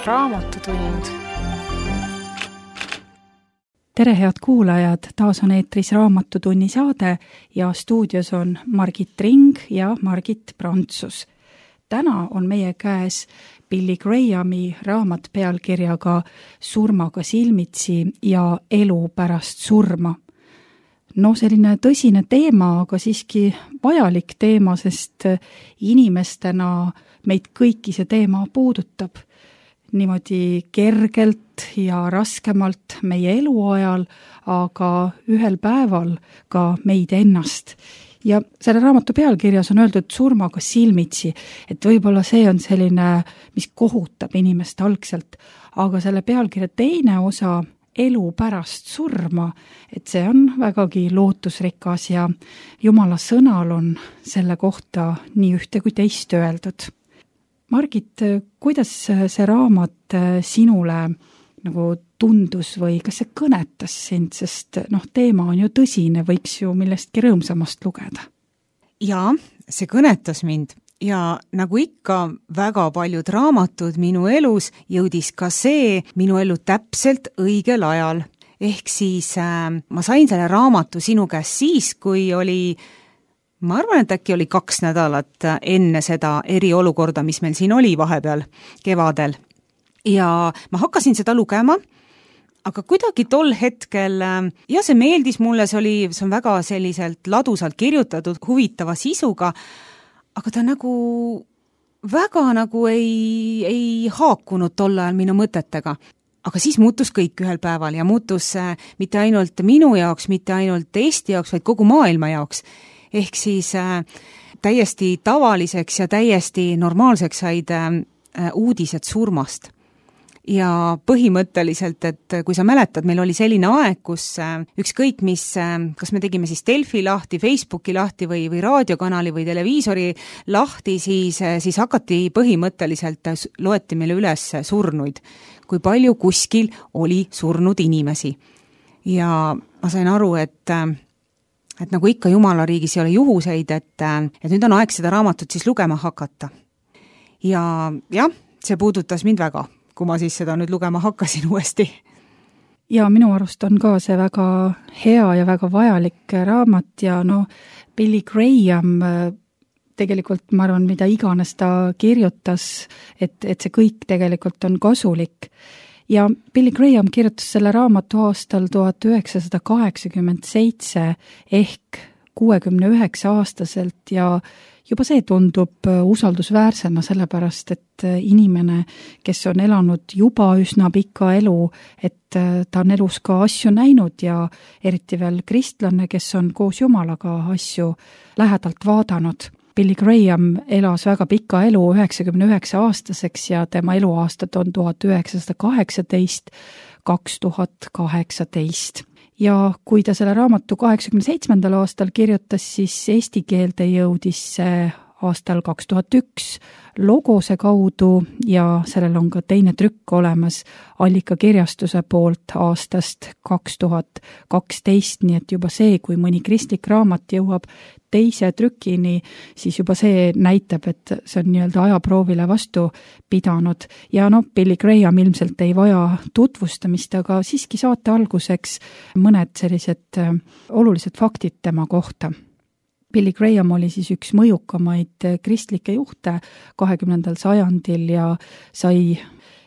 Raamatutund. Tere, head kuulajad! Taas on eetris Raamatutunni saade ja stuudios on Margit Ring ja Margit Prantsus. Täna on meie käes Billy Grahami raamat pealkirjaga Surmaga silmitsi ja elu pärast surma. No selline tõsine teema, aga siiski vajalik teema, sest inimestena meid kõiki see teema puudutab. Niimoodi kergelt ja raskemalt meie eluajal, aga ühel päeval ka meid ennast. Ja selle raamatu pealkirjas on öeldud surmaga silmitsi, et võib-olla see on selline, mis kohutab inimest algselt, aga selle pealkirja teine osa, elu pärast surma, et see on vägagi lootusrikas ja Jumala sõnal on selle kohta nii ühte kui teist öeldud. Margit, kuidas see raamat sinule nagu tundus või kas see kõnetas sind, sest teema on ju tõsine, võiks ju millestki rõõmsamast lugeda? Jaa, see kõnetas mind ja nagu ikka väga paljud raamatud minu elus jõudis ka see minu ellu täpselt õigel ajal. Ehk siis ma sain selle raamatu sinu käest siis, kui ma arvan, et äkki oli 2 nädalat enne seda eriolukorda, mis meil siin oli vahepeal kevadel. Ja ma hakkasin seda lugema, aga kuidagi tol hetkel, ja see meeldis mulle, see on väga selliselt ladusalt kirjutatud, huvitava sisuga, aga ta väga ei haakunud tol ajal minu mõtetega. Aga siis muutus kõik ühel päeval ja muutus mitte ainult minu jaoks, mitte ainult Eesti jaoks, vaid kogu maailma jaoks. Ehk siis täiesti tavaliseks ja täiesti normaalseks said uudised surmast. Ja põhimõtteliselt, et kui sa mäletad, meil oli selline aeg, kus ükskõik mis, kas me tegime siis Delfi lahti, Facebooki lahti või raadiokanali või televiisori lahti, siis hakati põhimõtteliselt, loeti meile üles surnuid, kui palju kuskil oli surnud inimesi. Ja ma sain aru, et nagu ikka Jumala riigis ei ole juhuseid, et nüüd on aeg seda raamatut siis lugema hakata. Ja jah, see puudutas mind väga, kui ma siis seda nüüd lugema hakkasin uuesti. Ja minu arust on ka see väga hea ja väga vajalik raamat ja Billy Graham tegelikult, ma arvan, mida iganes ta kirjutas, et see kõik tegelikult on kasulik. Ja Billy Graham kirjutas selle raamatu aastal 1987 ehk 69-aastaselt ja juba see tundub usaldusväärsena sellepärast, et inimene, kes on elanud juba üsna pika elu, et ta on elus ka asju näinud ja eriti veel kristlane, kes on koos Jumalaga asju lähedalt vaadanud. Billy Graham elas väga pika elu 99-aastaseks ja tema eluaastad on 1918-2018. Ja kui ta selle raamatu 87. aastal kirjutas, siis eesti keelde jõudis see aastal 2001 Logose kaudu ja sellel on ka teine trükk olemas Allika kirjastuse poolt aastast 2012, nii et juba see, kui mõni kristlik raamat jõuab teise trükini, siis juba see näitab, et see on nii-öelda ajaproovile vastu pidanud. Ja Billy Graham ilmselt ei vaja tutvustamist, aga siiski saate alguseks mõned sellised olulised faktid tema kohta. Billy Graham oli siis üks mõjukamaid kristlikke juhte 20. sajandil ja sai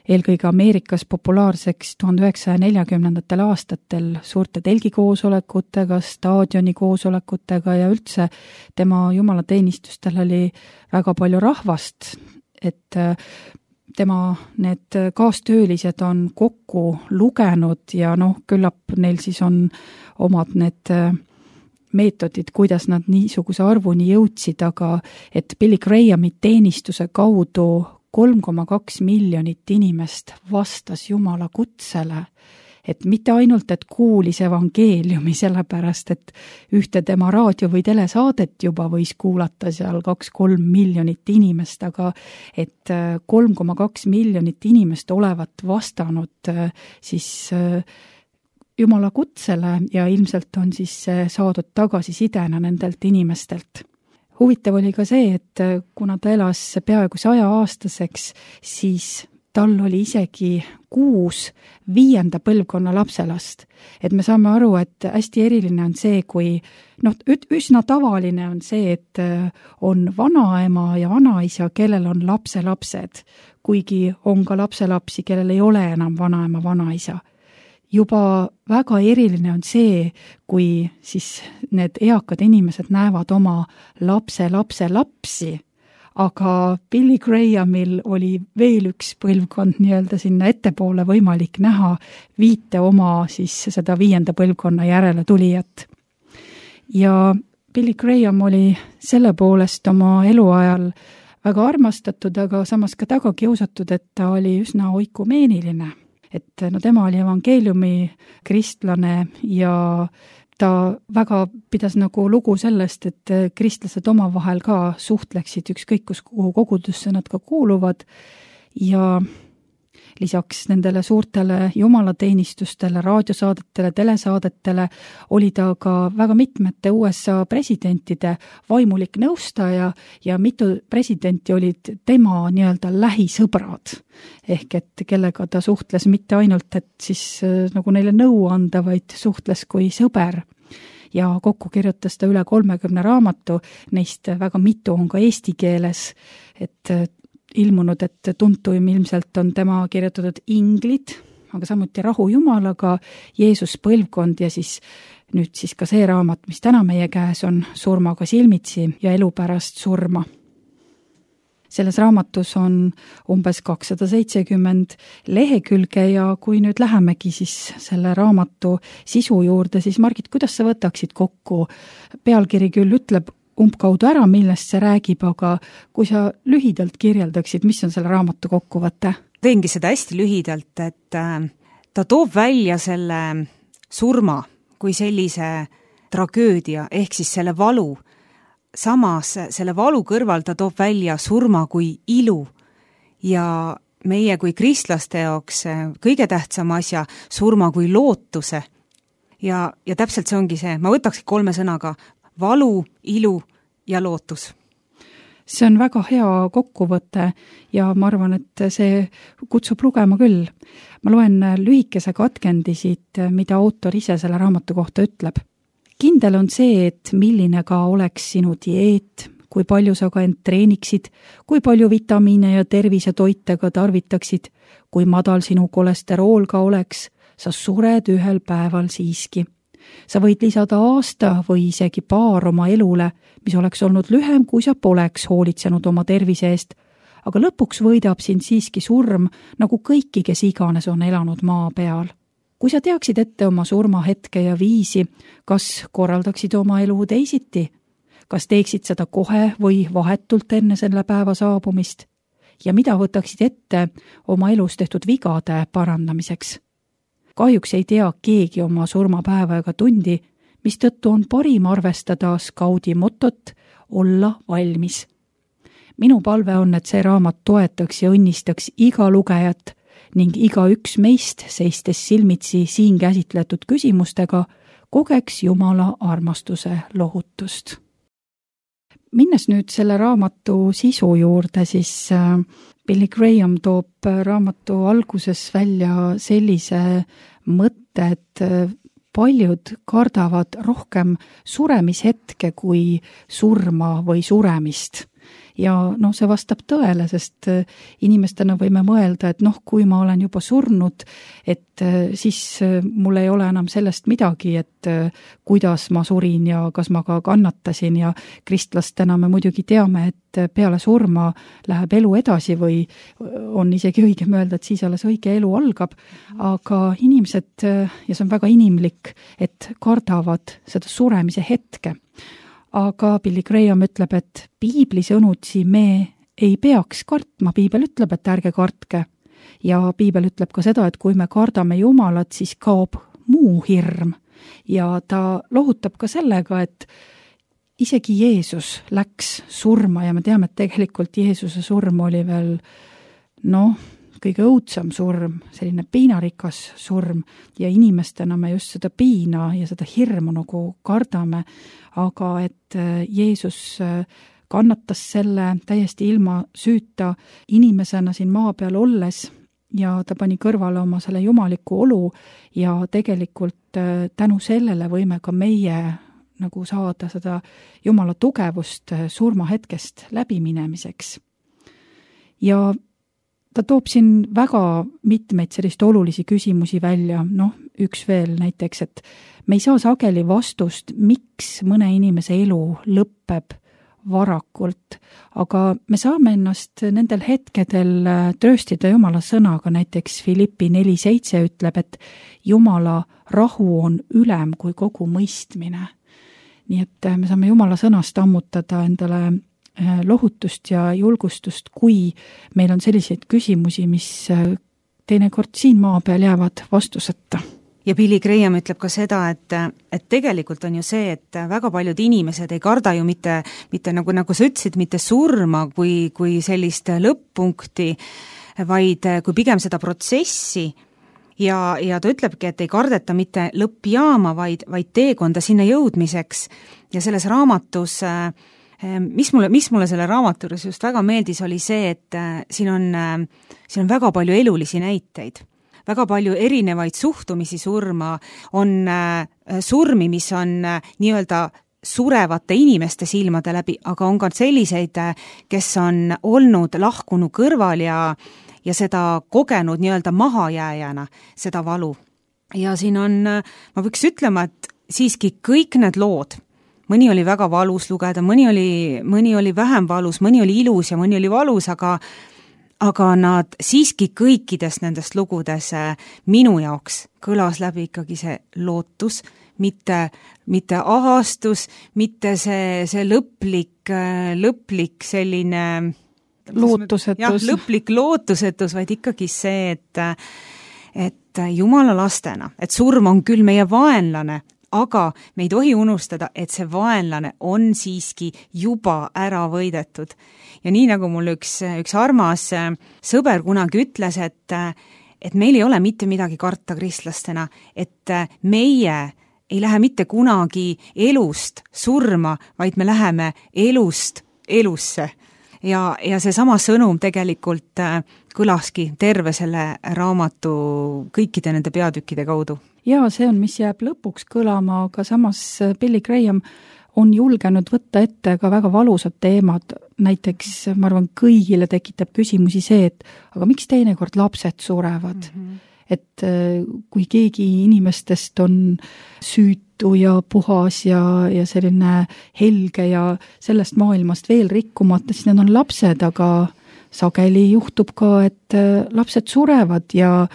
eelkõige Ameerikas populaarseks 1940. aastatel suurte telgikoosolekutega, staadionikoosolekutega ja üldse tema jumalateenistustel oli väga palju rahvast, et tema need kaastöölised on kokku lugenud ja küllap neil siis on omad need meetodid, kuidas nad niisuguse arvuni jõudsid, aga et Billy Grahami teenistuse kaudu 3,2 miljonit inimest vastas Jumala kutsele, et mitte ainult, et kuulis evangeeliumi, sellepärast, et ühte tema raadio- või telesaadet juba võis kuulata seal 2-3 miljonit inimest, aga et 3,2 miljonit inimest olevat vastanud siis Jumala kutsele ja ilmselt on siis saadud tagasisidena nendelt inimestelt. Huvitav oli ka see, et kuna ta elas peaaegu 100-aastaseks, siis tal oli isegi 6 5. põlvkonna lapselast. Et me saame aru, et hästi eriline on see, kui üsna tavaline on see, et on vanaema ja vanaisa, kellel on lapselapsed, kuigi on ka lapselapsi, kellel ei ole enam vanaema, vanaisa. Juba väga eriline on see, kui siis need eakad inimesed näevad oma lapsi, aga Billy Grahamil oli veel üks põlvkond nii-öelda sinna ettepoole võimalik näha 5 oma siis seda 5. põlvkonna järele tulijat. Ja Billy Graham oli selle poolest oma eluajal väga armastatud, aga samas ka taga kiusatud, et ta oli üsna oikumeeniline. Et tema oli evangeeliumi kristlane ja ta väga pidas nagu lugu sellest, et kristlased omavahel ka suhtleksid ükskõik kuhu kogudusse nad ka kuuluvad ja lisaks nendele suurtele jumalateenistustele, raadiosaadetele, telesaadetele oli ta ka väga mitmete USA presidentide vaimulik nõustaja ja mitu presidenti olid tema nii-öelda lähisõbrad. Ehk et kellega ta suhtles mitte ainult, et siis nagu neile nõu anda, vaid suhtles kui sõber. Ja kokku kirjutas ta üle 30 raamatu, neist väga mitu on ka eesti keeles, et ilmunud, et tuntuim ilmselt on tema kirjutatud Inglid, aga samuti Rahu Jumalaga, Jeesus põlvkond ja siis nüüd siis ka see raamat, mis täna meie käes on, Surmaga silmitsi ja elu pärast surma. Selles raamatus on umbes 270 lehekülge ja kui nüüd lähemegi siis selle raamatu sisu juurde, siis Margit, kuidas sa võtaksid kokku? Pealkiri küll ütleb umbkaudu ära, millest see räägib, aga kui sa lühidalt kirjeldaksid, mis on selle raamatu kokkuvõte? Teengi seda hästi lühidalt, et ta toob välja selle surma kui sellise tragöödia ehk siis selle valu. Samas selle valu kõrval ta toob välja surma kui ilu ja meie kui kristlaste jaoks kõige tähtsam asja, surma kui lootuse. Ja täpselt see ongi see, ma võtaksin 3 sõnaga, valu, ilu ja lootus. See on väga hea kokkuvõte ja ma arvan, et see kutsub lugema küll. Ma loen lühikese katkendi siit, mida autor ise selle raamatu kohta ütleb. Kindel on see, et milline ka oleks sinu dieet, kui palju sa ka end treeniksid, kui palju vitamiine ja tervisetoite ka tarvitaksid, kui madal sinu kolesterool ka oleks, sa sured ühel päeval siiski. Sa võid lisada aasta või isegi paar oma elule, mis oleks olnud lühem, kui sa poleks hoolitsenud oma tervise eest, aga lõpuks võidab sind siiski surm, nagu kõiki, kes iganes on elanud maa peal. Kui sa teaksid ette oma surmahetke ja viisi, kas korraldaksid oma elu teisiti? Kas teeksid seda kohe või vahetult enne selle päeva saabumist? Ja mida võtaksid ette oma elus tehtud vigade parandamiseks? Kahjuks ei tea keegi oma surmapäeva ega tundi, mistõttu on parim arvestada skaudi motot olla valmis. Minu palve on, et see raamat toetaks ja õnnistaks iga lugejat ning igaüks meist, seistes silmitsi siin käsitletud küsimustega, kogeks Jumala armastuse lohutust. Minnes nüüd selle raamatu sisu juurde, siis Billy Graham toob raamatu alguses välja sellise mõtte, et paljud kardavad rohkem suremishetke kui surma või suremist. Ja see vastab tõele, sest inimestena võime mõelda, et kui ma olen juba surnud, et siis mul ei ole enam sellest midagi, et kuidas ma surin ja kas ma ka kannatasin ja kristlastena me muidugi teame, et peale surma läheb elu edasi või on isegi õigem öelda, et siis alles õige elu algab, aga inimesed, ja see on väga inimlik, et kardavad seda suremise hetke. Aga Billy Graham ütleb, et piibli sõnutsi me ei peaks kartma, piibel ütleb, et ärge kartke. Ja piibel ütleb ka seda, et kui me kardame Jumalat, siis kaob muu hirm. Ja ta lohutab ka sellega, et isegi Jeesus läks surma ja me teame, et tegelikult Jeesuse surm oli veel, kõige õudsam surm, selline piinarikas surm ja inimestena me just seda piina ja seda hirmu nagu kardame, aga et Jeesus kannatas selle täiesti ilma süüta inimesena siin maa peal olles ja ta pani kõrvale oma selle jumaliku olu ja tegelikult tänu sellele võime ka meie nagu saada seda Jumala tugevust surmahetkest läbiminemiseks. Ja ta toob siin väga mitmeid sellist olulisi küsimusi välja, üks veel näiteks, et me ei saa sageli vastust, miks mõne inimese elu lõpeb varakult, aga me saame ennast nendel hetkedel trööstida Jumala sõnaga, näiteks Filippi 4:7 ütleb, et Jumala rahu on ülem kui kogu mõistmine. Nii et me saame Jumala sõnast ammutada endale lohutust ja julgustust, kui meil on selliseid küsimusi, mis teinekord siin maa peal jäävad vastuseta. Ja Billy Graham ütleb ka seda, et tegelikult on ju see, et väga paljud inimesed ei karda ju mitte nagu sa ütlesid, mitte surma kui sellist lõpp-punkti, vaid kui pigem seda protsessi ja ta ütlebki, et ei kardeta mitte lõppjaama, vaid teekonda sinna jõudmiseks. Ja selles raamatus mis mulle selle raamaturis just väga meeldis, oli see, et siin on väga palju elulisi näiteid, väga palju erinevaid suhtumisi surma, on surmi, mis on nii-öelda surevate inimeste silmade läbi, aga on ka selliseid, kes on olnud lahkunu kõrval ja seda kogenud nii-öelda mahajääjana, seda valu. Ja siin on, ma võiks ütlema, et siiski kõik need lood, mõni oli väga valus lugeda, mõni oli vähem valus, mõni oli ilus ja mõni oli valus, aga nad siiski kõikides nendest lugudes minu jaoks kõlas läbi ikkagi see lootus, mitte ahastus, mitte see lõplik selline lootusetus. Lõplik lootusetus, vaid ikkagi see, et Jumala lastena, et surm on küll meie vaenlane, aga me ei tohi unustada, et see vaenlane on siiski juba ära võidetud. Ja nii nagu mul üks armas sõber kunagi ütles, et meil ei ole mitte midagi karta kristlastena, et meie ei lähe mitte kunagi elust surma, vaid me läheme elust elusse. Ja see sama sõnum tegelikult kõlaski terve selle raamatu kõikide nende peatükkide kaudu. Ja see on, mis jääb lõpuks kõlama, aga samas Billy Graham on julgenud võtta ette ka väga valusad teemad. Näiteks, ma arvan, kõigile tekitab küsimusi see, et aga miks teinekord lapsed surevad? Et kui keegi inimestest on süütu ja puhas ja selline helge ja sellest maailmast veel rikkumata, siis need on lapsed, aga sageli juhtub ka, et lapsed surevad ja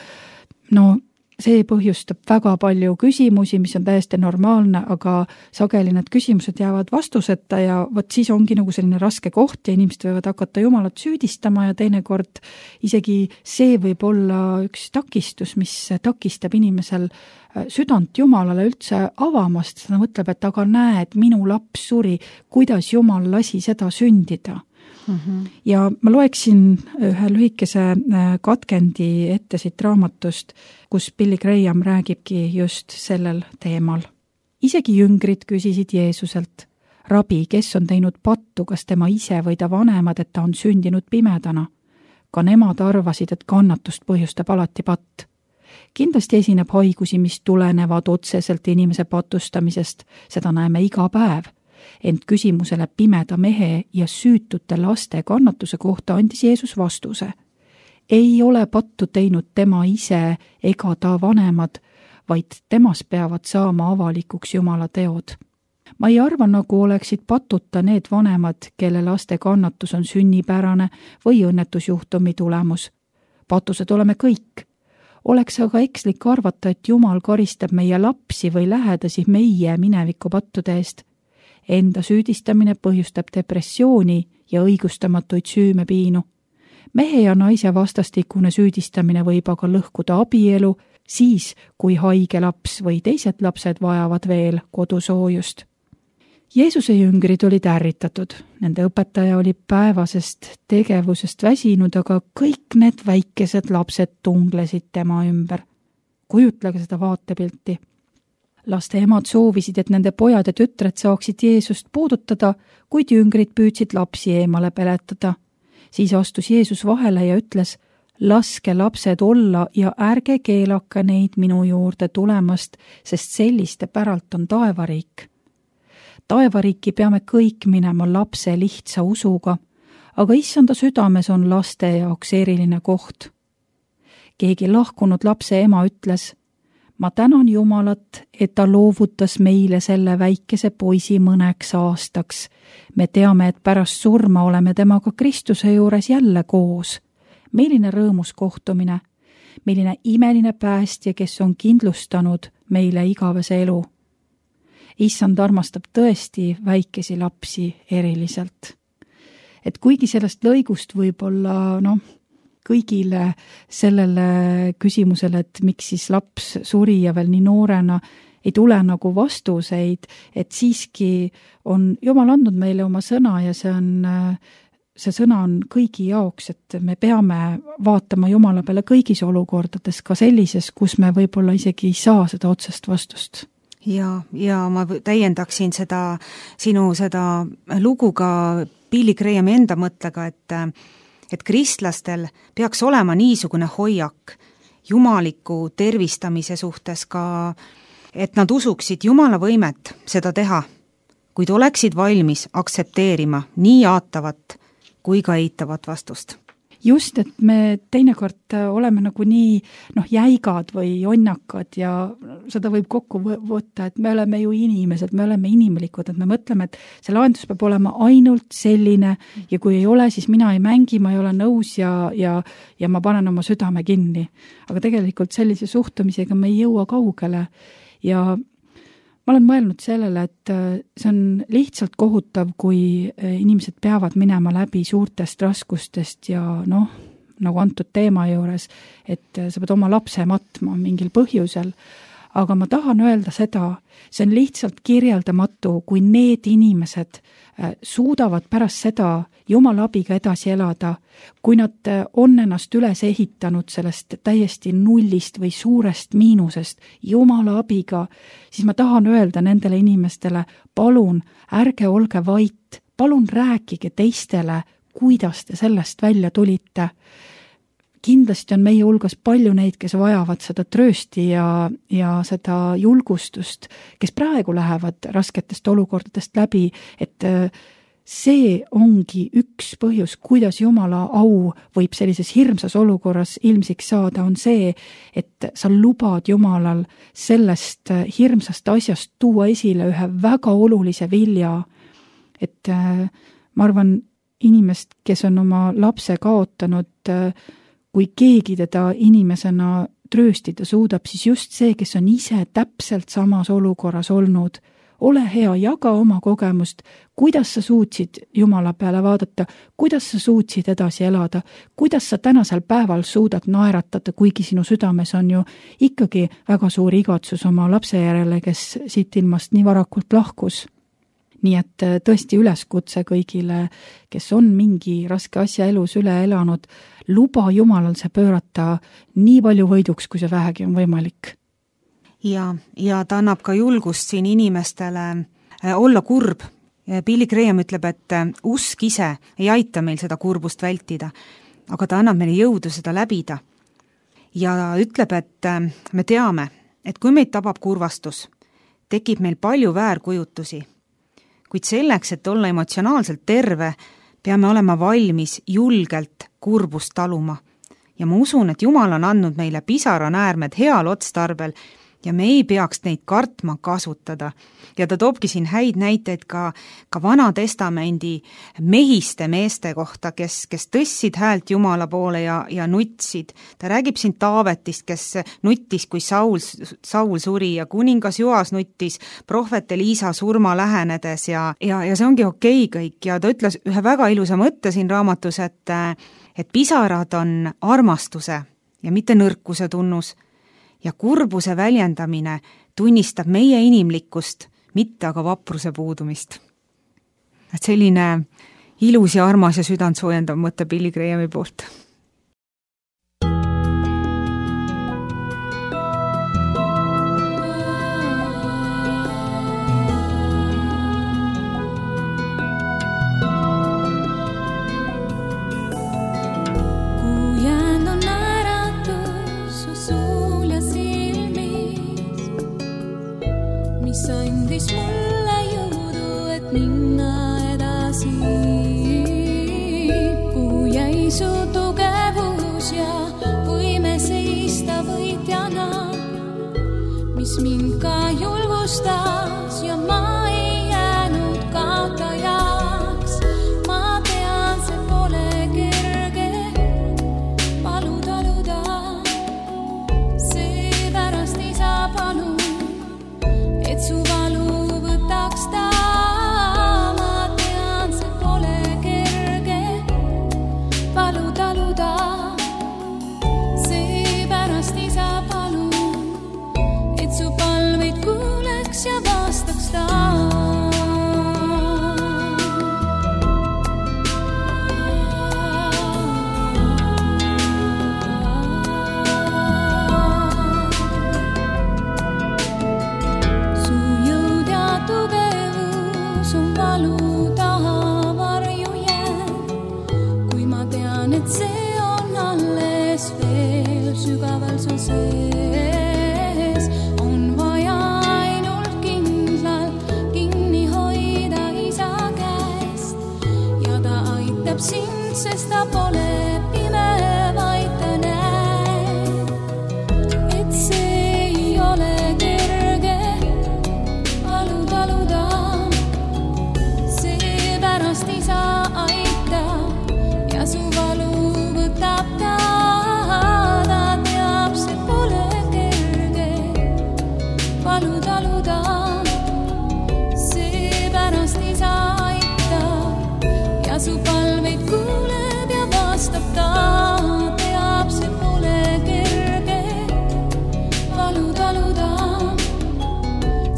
see põhjustab väga palju küsimusi, mis on täiesti normaalne, aga sageli need küsimused jäävad vastuseta ja vot siis ongi nagu selline raske koht ja inimesed võivad hakata Jumalat süüdistama ja teinekord isegi see võib olla üks takistus, mis takistab inimesel südant Jumalale üldse avamast. Ta mõtleb, et aga näed, minu laps suri, kuidas Jumal lasi seda sündida. Ja ma loeksin ühe lühikese katkendi ette siit raamatust, kus Billy Graham räägibki just sellel teemal. Isegi jüngrid küsisid Jeesuselt, rabi, kes on teinud pattu, kas tema ise või ta vanemad, et ta on sündinud pimedana? Ka nemad arvasid, et kannatust põhjustab alati patt. Kindlasti esineb haigusi, mis tulenevad otseselt inimese patustamisest, seda näeme iga päev. Ent küsimusele pimeda mehe ja süütute laste kannatuse kohta andis Jeesus vastuse. Ei ole pattu teinud tema ise ega ta vanemad, vaid temas peavad saama avalikuks Jumala teod. Ma ei arva, nagu oleksid patuta need vanemad, kelle laste kannatus on sünnipärane või õnnetusjuhtumi tulemus. Patused oleme kõik. Oleks aga ekslik arvata, et Jumal karistab meie lapsi või lähedasi meie mineviku pattude eest. Enda süüdistamine põhjustab depressiooni ja õigustamatuid süümepiinu. Mehe ja naise vastastikune süüdistamine võib aga lõhkuda abielu, siis kui haige laps või teised lapsed vajavad veel kodusoojust. Jeesuse jüngrid olid ärritatud. Nende õpetaja oli päevasest tegevusest väsinud, aga kõik need väikesed lapsed tunglesid tema ümber. Kujutlege seda vaatepilti. Laste emad soovisid, et nende pojad ja tütred saaksid Jeesust puudutada, kuid jüngrid püüdsid lapsi eemale peletada. Siis astus Jeesus vahele ja ütles, laske lapsed olla ja ärge keelake neid minu juurde tulemast, sest selliste päralt on taevariik. Taevariiki peame kõik minema lapse lihtsa usuga, aga issanda südames on laste jaoks eriline koht. Keegi lahkunud lapse ema ütles, ma tänan Jumalat, et ta loovutas meile selle väikese poisi mõneks aastaks. Me teame, et pärast surma oleme temaga Kristuse juures jälle koos. Milline rõõmus kohtumine, milline imeline päästja, kes on kindlustanud meile igavese elu. Issand armastab tõesti väikesi lapsi eriliselt. Et kuigi sellest lõigust võib-olla, kõigile sellele küsimusele, et miks siis laps suri ja veel nii noorena, ei tule nagu vastuseid, et siiski on Jumal andnud meile oma sõna ja see sõna on kõigi jaoks, et me peame vaatama Jumala peale kõigis olukordades, ka sellises, kus me võib-olla isegi ei saa seda otsest vastust. Ja ma täiendaksin sinu lugu ka Billy Grahami enda mõttega, et kristlastel peaks olema niisugune hoiak jumaliku tervistamise suhtes ka, et nad usuksid Jumala võimet seda teha, kuid oleksid valmis aktsepteerima nii jaatavat kui ka eitavat vastust. Just, et me teinekord oleme nagu nii jäigad või jonnakad ja seda võib kokku võtta, et me oleme ju inimesed, me oleme inimlikud, et me mõtleme, et see lahendus peab olema ainult selline ja kui ei ole, siis mina ei mängi, ma ei ole nõus ja ma panen oma südame kinni. Aga tegelikult sellise suhtumisega me ei jõua kaugele ja ma olen mõelnud sellele, et see on lihtsalt kohutav, kui inimesed peavad minema läbi suurtest raskustest ja nagu antud teema juures, et sa pead oma lapse matma mingil põhjusel. Aga ma tahan öelda seda, see on lihtsalt kirjeldamatu, kui need inimesed suudavad pärast seda Jumala abiga edasi elada, kui nad on ennast üles ehitanud sellest täiesti nullist või suurest miinusest Jumala abiga, siis ma tahan öelda nendele inimestele, palun ärge olge vait, palun rääkige teistele, kuidas te sellest välja tulite. Kindlasti on meie hulgas palju neid, kes vajavad seda tröösti ja seda julgustust, kes praegu lähevad rasketest olukordadest läbi, et see ongi üks põhjus, kuidas Jumala au võib sellises hirmsas olukorras ilmsiks saada, on see, et sa lubad Jumalal sellest hirmsast asjast tuua esile ühe väga olulise vilja, et ma arvan, inimest, kes on oma lapse kaotanud, kui keegi teda inimesena trööstida suudab, siis just see, kes on ise täpselt samas olukorras olnud. Ole hea, jaga oma kogemust, kuidas sa suutsid Jumala peale vaadata, kuidas sa suutsid edasi elada, kuidas sa tänasel päeval suudad naeratada, kuigi sinu südames on ju ikkagi väga suur igatsus oma lapse järele, kes siit ilmast nii varakult lahkus. Nii et tõesti üleskutse kõigile, kes on mingi raske asja elus üle elanud, luba Jumalal see pöörata nii palju võiduks, kui see vähegi on võimalik. Ja ta annab ka julgust siin inimestele olla kurb. Billy Graham ütleb, et usk ise ei aita meil seda kurbust vältida, aga ta annab meile jõudu seda läbida. Ja ütleb, et me teame, et kui meid tabab kurvastus, tekib meil palju väärkujutusi. Kuid selleks, et olla emotsionaalselt terve, peame olema valmis julgelt kurbust taluma. Ja ma usun, et Jumal on andnud meile pisaranäärmed heal otstarbel ja me ei peaks neid kartma kasutada. Ja ta toobki siin häid näiteid ka Vana Testamendi mehiste meeste kohta, kes tõssid häält Jumala poole ja nutsid. Ta räägib siin Taavetist, kes nuttis, kui Saul suri ja kuningas Joas nuttis prohvet Eliisa surma lähenedes ja see ongi okei kõik. Ja ta ütles ühe väga ilusa mõtte siin raamatus, et pisarad on armastuse ja mitte nõrkuse tunnus. Ja kurbuse väljendamine tunnistab meie inimlikkust, mitte aga vapruse puudumist. Et selline ilus ja armas ja südant soojendav mõte Billy Grahami poolt. Kui jäänud mis andis mulle jõudu, et minna edasi. Kuhu jäi su tugevus ja võime seista võitjana, mis mind ka julgustas ja ma ei jäänud kaotajaks. Ma tean, see pole kerge taluda, seepärast isa palun, et su valu võtaks ta. Ma tean, see pole kerge taluda, seepärast isa palun, et su palveid kuuleks ja vastaks ta. Su jõud ja tugevus on valu taha varju jäänud, kui ma tean, et see on alles veel sügaval su sees. On vaja ainult kindlalt kinni hoida isa käest ja ta aitab sind, sest ta pole pime, vaid ta näeb, et see ei ole kerge taluda. Seepärast isa aitab ja su valu võtab ta. Ta teab, see pole kerge taluda. Seepärast isa aitab ja su palveid kuuleb ja vastab ta. Teab, see pole kerge taluda.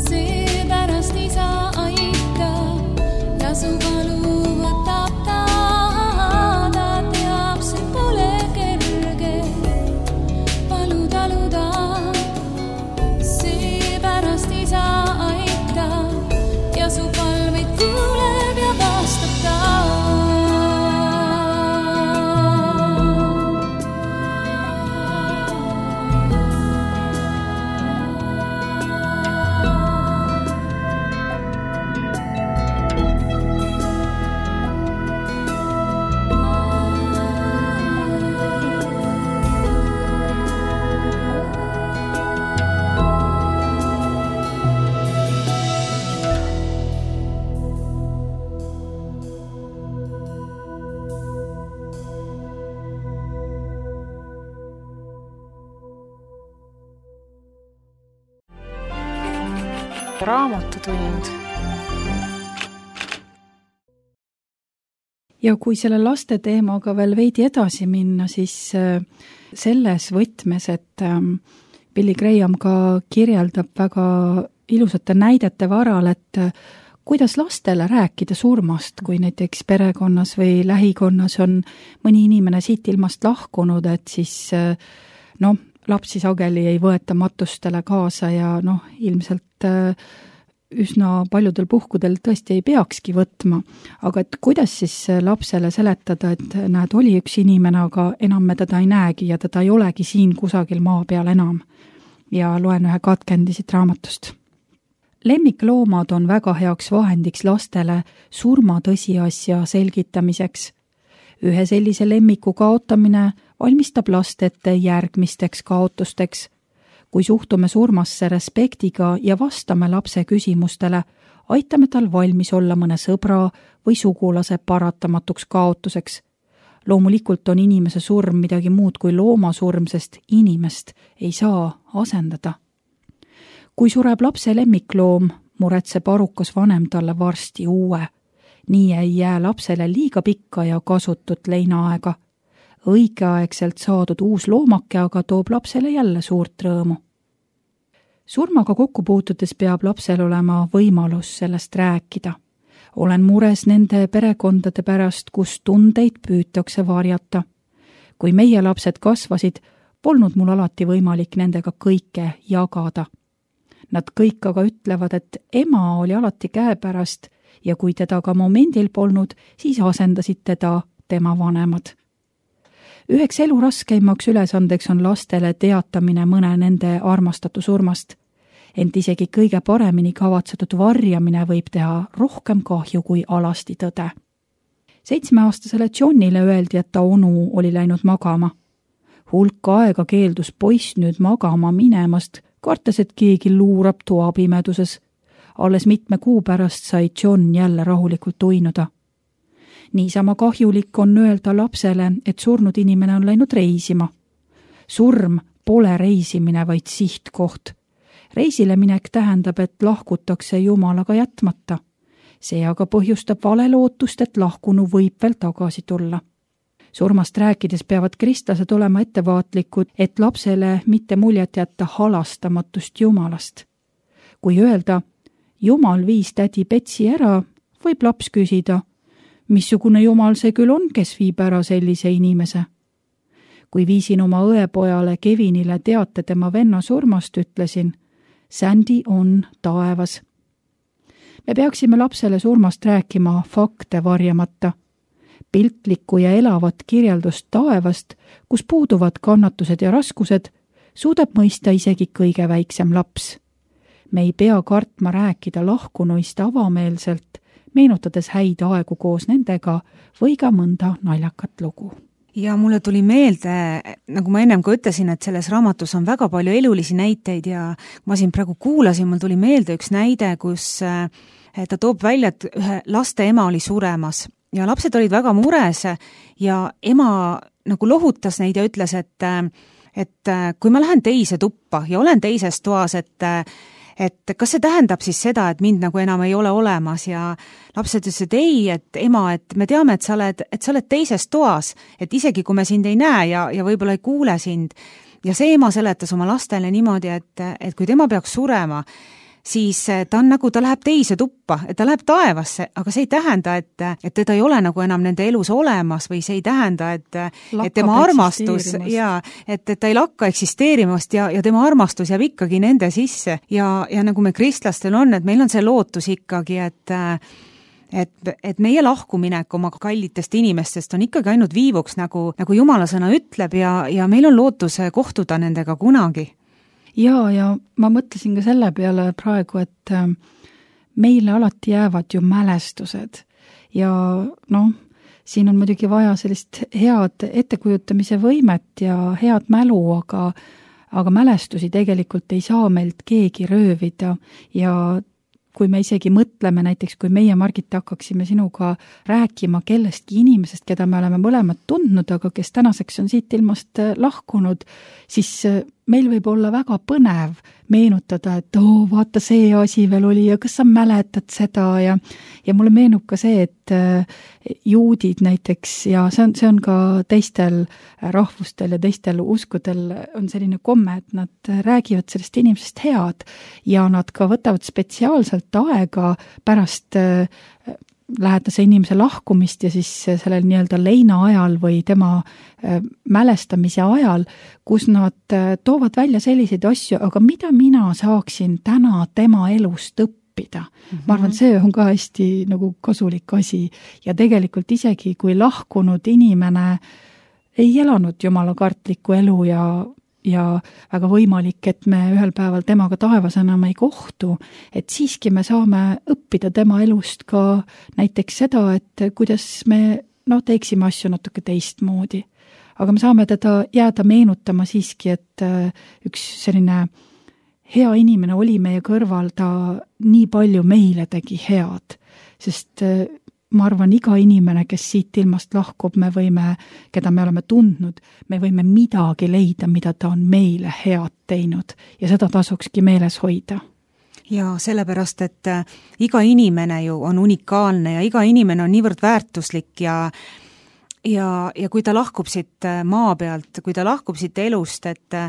Seepärast isa aitab ja su valu võtab ta. Ta teab, see pole kerge taluda. Seepärast isa aitab ja su palveid kuuleb ja vastab ta. Raamatutund. Ja kui selle laste teemaga veel veidi edasi minna, siis selles võtmes, et Billy Graham ka kirjeldab väga ilusate näidete varal, et kuidas lastele rääkida surmast, kui näiteks perekonnas või lähikonnas on mõni inimene siit ilmast lahkunud, et siis lapsi sageli ei võeta matustele kaasa ja ilmselt üsna paljudel puhkudel tõesti ei peakski võtma. Aga et kuidas siis lapsele seletada, et näed, oli üks inimene, aga enam me teda ei näegi ja teda ei olegi siin kusagil maa peal enam. Ja loen ühe katkendi siit raamatust. Lemmikloomad on väga heaks vahendiks lastele surma tõsiasja selgitamiseks. Ühe sellise lemmiku kaotamine valmistab last ette järgmisteks kaotusteks. Kui suhtume surmasse respektiga ja vastame lapse küsimustele, aitame tal valmis olla mõne sõbra või sugulase paratamatuks kaotuseks. Loomulikult on inimese surm midagi muud kui looma surm, sest inimest ei saa asendada. Kui sureb lapse lemmikloom, muretseb arukas vanem talle varsti uue. Nii ei jää lapsele liiga pikka ja kasutut leinaaega. Õigeaegselt saadud uus loomake aga toob lapsele jälle suurt rõõmu. Surmaga kokku puutudes peab lapsel olema võimalus sellest rääkida. Olen mures nende perekondade pärast, kus tundeid püütakse varjata. Kui meie lapsed kasvasid, polnud mul alati võimalik nendega kõike jagada. Nad kõik aga ütlevad, et ema oli alati käepärast ja kui teda ka momendil polnud, siis asendasid teda tema vanemad. Üheks elu raskeimaks ülesandeks on lastele teatamine mõne nende armastatu surmast. ent isegi kõige paremini kavatsetud varjamine võib teha rohkem kahju kui alasti tõde. 7-aastasele Johnile öeldi, et ta onu oli läinud magama. Hulk aega keeldus poiss nüüd magama minemast, kartes, et keegi luurab toapimeduses. Alles mitme kuu pärast sai John jälle rahulikult uinuda. Niisama kahjulik on öelda lapsele, et surnud inimene on läinud reisima. Surm pole reisimine, vaid sihtkoht. Reisile minek tähendab, et lahkutakse Jumalaga jätmata. See aga põhjustab valelootust, et lahkunu võib veel tagasi tulla. Surmast rääkides peavad kristlased olema ettevaatlikud, et lapsele mitte muljet jätta halastamatust Jumalast. Kui öelda, Jumal viis tädi Betsi ära, võib laps küsida, missugune Jumal see küll on, kes viib ära sellise inimese? Kui viisin oma õepojale Kevinile teate tema venna surmast, ütlesin, Sandy on taevas. Me peaksime lapsele surmast rääkima fakte varjamata. Piltlikku ja elavat kirjeldust taevast, kus puuduvad kannatused ja raskused, suudab mõista isegi kõige väiksem laps. Me ei pea kartma rääkida lahkunuist avameelselt, meenutades häid aegu koos nendega või ka mõnda naljakat lugu. Ja mulle tuli meelde, nagu ma ennem ka ütlesin, et selles raamatus on väga palju elulisi näiteid ja ma siin praegu kuulasin, mul tuli meelde üks näide, kus ta toob välja, et ühe laste ema oli suremas ja lapsed olid väga mures ja ema nagu lohutas neid ja ütles, et kui ma lähen teise tuppa ja olen teises toas, et kas see tähendab siis seda, et mind nagu enam ei ole olemas ja lapsed ütlesid ei, et ema, et me teame, et sa oled teises toas, et isegi kui me sind ei näe ja võib-olla ei kuule sind. Ja see ema seletas oma lastele niimoodi, et kui tema peaks surema, siis ta läheb teise tuppa, et ta läheb taevasse, aga see ei tähenda, et teda ei ole nagu enam nende elus olemas või see ei tähenda, et tema armastus ja et ta ei lakka eksisteerimast ja tema armastus jääb ikkagi nende sisse ja nagu me kristlastel on, et meil on see lootus ikkagi, et meie lahkuminek oma kallitest inimestest on ikkagi ainult viivuks, nagu Jumala sõna ütleb ja meil on lootus kohtuda nendega kunagi. Ja ma mõtlesin ka selle peale praegu, et meile alati jäävad ju mälestused ja siin on muidugi vaja sellist head ettekujutamise võimet ja head mälu, aga mälestusi tegelikult ei saa meilt keegi röövida ja kui me isegi mõtleme näiteks, kui meie, Margit, hakkaksime sinuga rääkima kellestki inimesest, keda me oleme mõlemad tundnud, aga kes tänaseks on siit ilmast lahkunud, siis meil võib olla väga põnev meenutada, et vaata see asi veel oli ja kas sa mäletad seda ja mulle meenub ka see, et juudid näiteks ja see on ka teistel rahvustel ja teistel uskudel on selline komme, et nad räägivad sellest inimesest head ja nad ka võtavad spetsiaalselt aega pärast lähedase inimese lahkumist ja siis sellel nii-öelda leina ajal või tema mälestamise ajal, kus nad toovad välja selliseid asju, aga mida mina saaksin täna tema elust õppida. Ma arvan, see on ka hästi nagu kasulik asi ja tegelikult isegi kui lahkunud inimene ei elanud jumalakartlikku elu ja väga võimalik, et me ühel päeval temaga taevas enam ei kohtu, et siiski me saame õppida tema elust ka näiteks seda, et kuidas me teeksime asju natuke teistmoodi. Aga me saame teda jääda meenutama siiski, et üks selline hea inimene oli meie kõrval, ta nii palju meile tegi head, sest ma arvan, iga inimene, kes siit ilmast lahkub, keda me oleme tundnud, me võime midagi leida, mida ta on meile head teinud ja seda tasukski meeles hoida. Ja sellepärast, et iga inimene ju on unikaalne ja iga inimene on niivõrd väärtuslik ja kui ta lahkub siit maa pealt, kui ta lahkub siit elust, et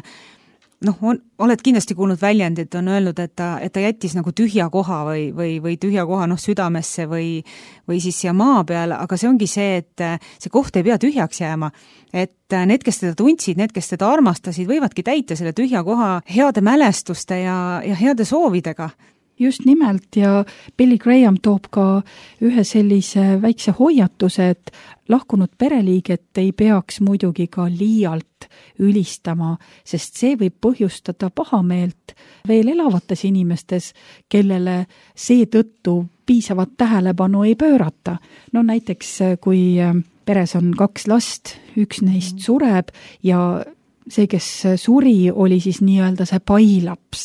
oled kindlasti kuulnud väljendit, on öelnud, et ta jättis nagu tühja koha või tühja koha südamesse või siis siia maa peale, aga see ongi see, et see koht ei pea tühjaks jääma. Et need, kes teda tundsid, need, kes teda armastasid, võivadki täita selle tühja koha heade mälestuste ja heade soovidega. just nimelt ja Billy Graham toob ka ühe sellise väikse hoiatuse, et lahkunud pereliiget ei peaks muidugi ka liialt ülistama, sest see võib põhjustada pahameelt veel elavates inimestes, kellele seetõttu piisavat tähelepanu ei pöörata. No näiteks kui peres on 2 last, üks neist sureb ja see, kes suri, oli siis nii-öelda see pailaps.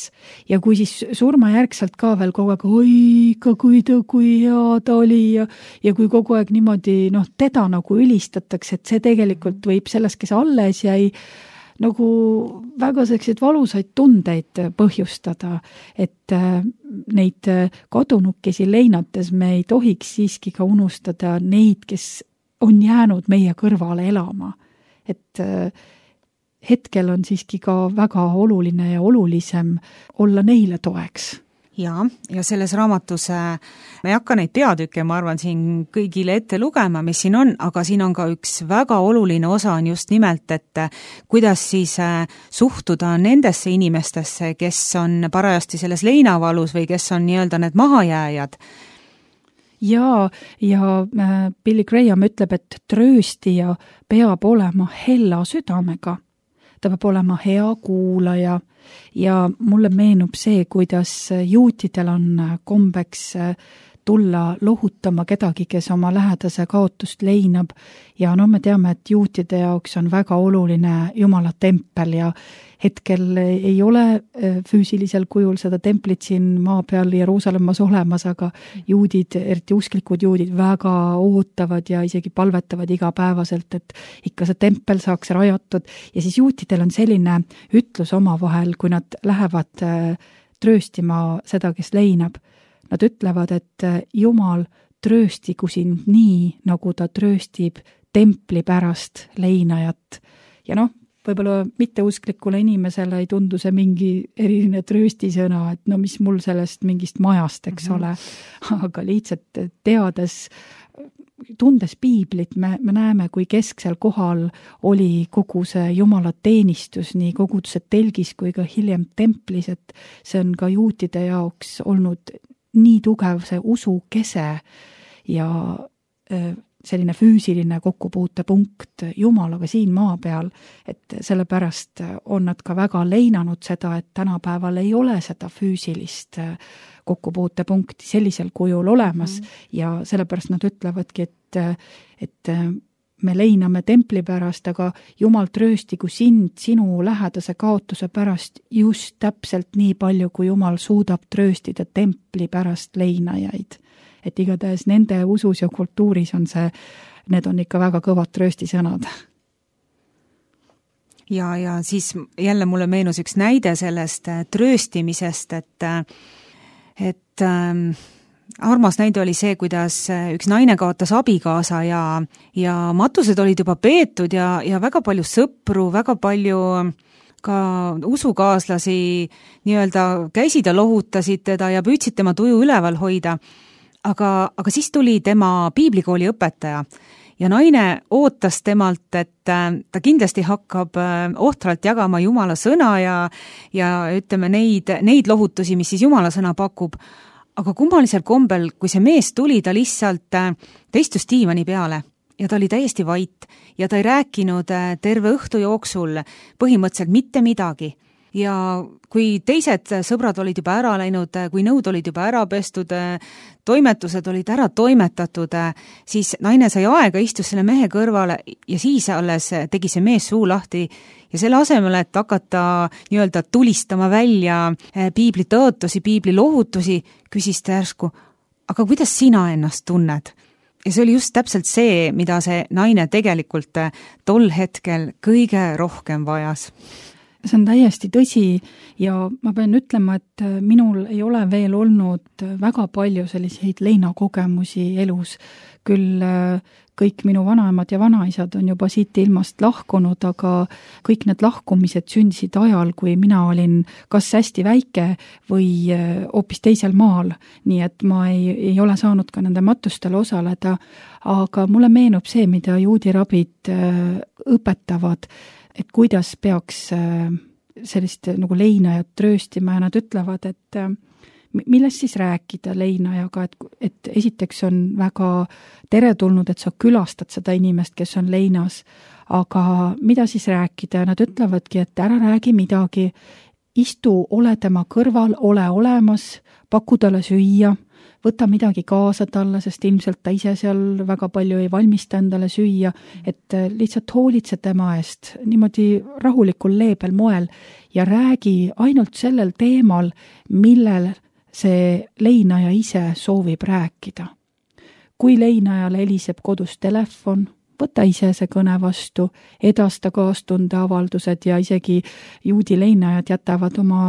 Ja kui siis surmajärgselt ka veel kogu aeg, oi, kui hea ta oli ja kui kogu aeg niimoodi, teda nagu ülistatakse, et see tegelikult võib selles, kes alles jäi, nagu väga selliseid valusaid tundeid põhjustada, et neid kadunukesi leinates me ei tohiks siiski ka unustada neid, kes on jäänud meie kõrvale elama. Et hetkel on siiski ka väga oluline ja olulisem olla neile toeks. Ja selles raamatus me ei hakka neid peatükke, ma arvan, siin kõigile ette lugema, mis siin on, aga siin on ka üks väga oluline osa on just nimelt, et kuidas siis suhtuda nendesse inimestesse, kes on parajasti selles leinavalus või kes on nii-öelda need mahajääjad. Ja Billy Graham ütleb, et trööstija peab olema hella südamega. Ta peab olema hea kuulaja ja mulle meenub see, kuidas juutidel on kombeks tulla lohutama kedagi, kes oma lähedase kaotust leinab ja me teame, et juutide jaoks on väga oluline Jumala tempel ja hetkel ei ole füüsilisel kujul seda templit siin maa peal Jeruusalemmas olemas, aga juudid, eriti usklikud juudid väga ootavad ja isegi palvetavad igapäevaselt, et ikka see tempel saaks rajatud ja siis juutidel on selline ütlus omavahel, kui nad lähevad trööstima seda, kes leinab. Nad ütlevad, et Jumal trööstigu sind nii, nagu ta trööstib templi pärast leinajat. Ja võib-olla mitteusklikule inimesele ei tundu see mingi eriline trööstisõna, et mis mul sellest mingist majast, eks ole. Aga lihtsalt teades, tundes piiblit, me näeme, kui kesksel kohal oli kogu see Jumala teenistus, nii koguduse telgis kui ka hiljem templis, et see on ka juutide jaoks olnud nii tugev see usu kese ja selline füüsiline kokkupuutepunkt Jumalaga siin maa peal, et sellepärast on nad ka väga leinanud seda, et tänapäeval ei ole seda füüsilist kokkupuutepunkti sellisel kujul olemas ja sellepärast nad ütlevadki, et me leiname templi pärast, aga Jumal trööstigu sind sinu lähedase kaotuse pärast just täpselt nii palju, kui Jumal suudab trööstida templi pärast leinajaid. Et igatahes nende usus ja kultuuris on need on ikka väga kõvad trööstisõnad. Ja siis jälle mulle meenus üks näide sellest trööstimisest, et armas näide oli see, kuidas üks naine kaotas abikaasa ja matused olid juba peetud ja väga palju sõpru, väga palju ka usukaaslasi nii-öelda käisid ja lohutasid teda ja püüdsid tema tuju üleval hoida. Aga siis tuli tema piiblikooli õpetaja ja naine ootas temalt, et ta kindlasti hakkab ohtralt jagama Jumala sõna ja ütleme neid lohutusi, mis siis Jumala sõna pakub. Aga kummalisel kombel, kui see mees tuli, ta lihtsalt istus diivani peale ja ta oli täiesti vait ja ta ei rääkinud terve õhtu jooksul põhimõtteliselt mitte midagi. Ja kui teised sõbrad olid juba ära läinud, kui nõud olid juba ära pestud, toimetused olid ära toimetatud, siis naine sai aega, istus selle mehe kõrvale ja siis alles tegi see mees suu lahti ja selle asemel, et hakata nii-öelda tulistama välja piibli tõotusi, piibli lohutusi, küsis ta järsku, aga kuidas sina ennast tunned? Ja see oli just täpselt see, mida see naine tegelikult tol hetkel kõige rohkem vajas. See on täiesti tõsi ja ma pean ütlema, et minul ei ole veel olnud väga palju selliseid leinakogemusi elus. Küll kõik minu vanaemad ja vanaisad on juba siit ilmast lahkunud, aga kõik need lahkumised sündisid ajal, kui mina olin kas hästi väike või hoopis teisel maal. Nii et ma ei ole saanud ka nende matustel osaleda, aga mulle meenub see, mida juudi rabid õpetavad, et kuidas peaks sellist nagu leinajat trööstima ja nad ütlevad, et millest siis rääkida leinajaga, et esiteks on väga teretulnud, et sa külastad seda inimest, kes on leinas, aga mida siis rääkida, nad ütlevadki, et ära räägi midagi, istu, ole tema kõrval, ole olemas, paku talle süüa, võta midagi kaasa talle, sest ilmselt ta ise seal väga palju ei valmista endale süüa, et lihtsalt hoolitse tema eest niimoodi rahulikul leebel moel ja räägi ainult sellel teemal, millel see leinaja ise soovib rääkida. Kui leinajal heliseb kodus telefon, võta ise see kõne vastu, edasta kaastundeavaldused ja isegi juudi leinajad jätavad oma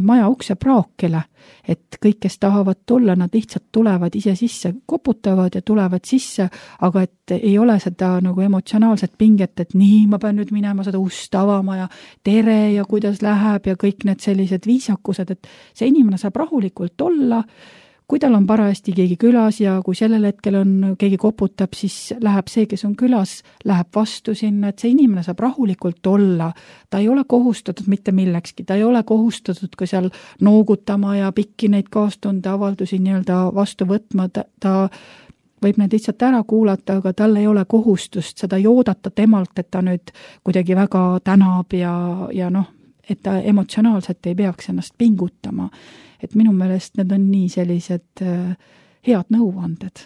maja ukse praokile, et kõik, kes tahavad tulla, nad lihtsalt tulevad ise sisse, koputavad ja tulevad sisse, aga et ei ole seda nagu emotsionaalset pinget, et nii, ma pean nüüd minema seda ust avama ja tere ja kuidas läheb ja kõik need sellised viisakused, et see inimene saab rahulikult olla, kui tal on parajasti keegi külas ja kui sellel hetkel on keegi koputab, siis läheb see, kes on külas, läheb vastu sinna, et see inimene saab rahulikult olla. Ta ei ole kohustatud mitte millekski, ta ei ole kohustatud ka seal noogutama ja pikki neid kaastundeavaldusi nii-öelda vastu võtma, ta võib need lihtsalt ära kuulata, aga tal ei ole kohustust seda joodata temalt, et ta nüüd kuidagi väga tänab ja noh, et ta emotsionaalselt ei peaks ennast pingutama. Et minu meelest need on nii sellised head nõuanded.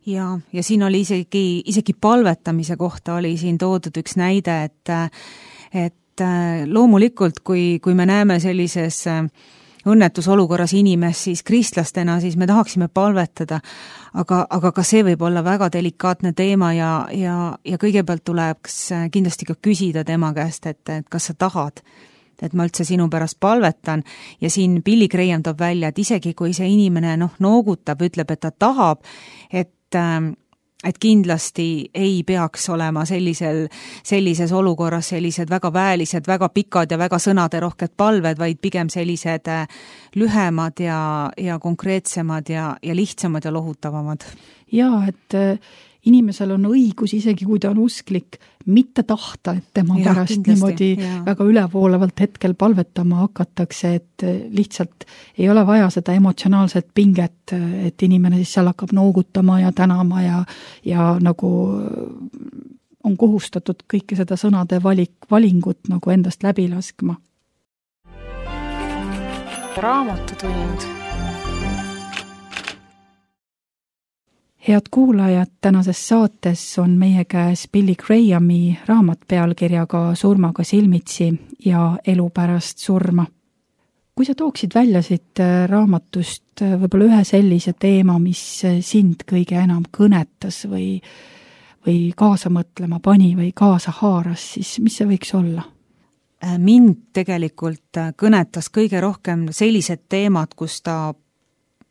Ja siin oli isegi palvetamise kohta oli siin toodud üks näide, et loomulikult, kui me näeme sellises õnnetusolukorras inimest, siis kristlastena, siis me tahaksime palvetada, aga ka see võib olla väga delikaatne teema ja kõigepealt tuleks kindlasti ka küsida tema käest, et kas sa tahad, et ma üldse sinu pärast palvetan ja siin Billy Graham toob välja, et isegi kui see inimene noogutab, ütleb, et ta tahab, et kindlasti ei peaks olema sellises olukorras sellised väga väelised, väga pikad ja väga sõnaderohked palved, vaid pigem sellised lühemad ja konkreetsemad ja lihtsamad ja lohutavamad. Jaa, et inimesel on õigus, isegi kui ta on usklik, mitte tahta, et tema pärast niimoodi väga ülevoolavalt hetkel palvetama hakatakse, et lihtsalt ei ole vaja seda emotsionaalset pinget, et inimene siis seal hakkab noogutama ja tänama ja nagu on kohustatud kõike seda sõnade valingut nagu endast läbi laskma. Raamatutund. Head kuulajad, tänases saates on meie käes Billy Grahami raamat pealkirjaga Surmaga silmitsi ja elu pärast surma. Kui sa tooksid välja siit raamatust võib-olla ühe sellise teema, mis sind kõige enam kõnetas või kaasa mõtlema pani või kaasa haaras, siis mis see võiks olla? Mind tegelikult kõnetas kõige rohkem sellised teemad, kus ta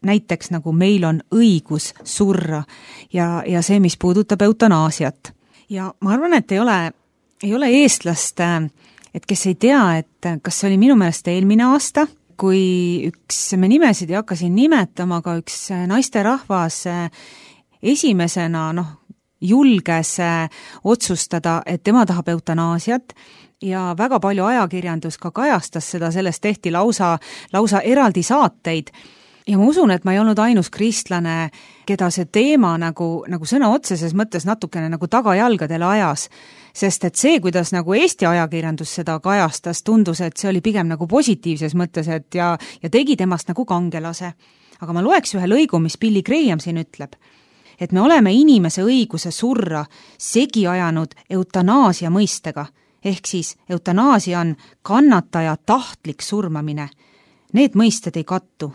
näiteks nagu meil on õigus surra ja see, mis puudutab eutanaasiat. Ja ma arvan, et ei ole eestlast, et kes ei tea, et kas see oli minu meelest eelmine aasta, kui me nimesid ei hakka siin nimetama, aga üks naisterahvas esimesena julges otsustada, et tema tahab eutanaasiat ja väga palju ajakirjandus ka kajastas seda, sellest tehti lausa eraldi saateid. Ja ma usun, et ma ei olnud ainus kristlane, keda see teema nagu sõna otseses mõttes natukene nagu tagajalgadele ajas, sest et see, kuidas nagu Eesti ajakirjandus seda kajastas, tundus, et see oli pigem nagu positiivses mõttes, et ja tegi temast nagu kangelase. Aga ma loeks ühe lõigu, mis Billy Graham siin ütleb, et me oleme inimese õiguse surra segi ajanud eutanaasia mõistega, ehk siis eutanaasia on kannataja tahtlik surmamine. Need mõisted ei kattu.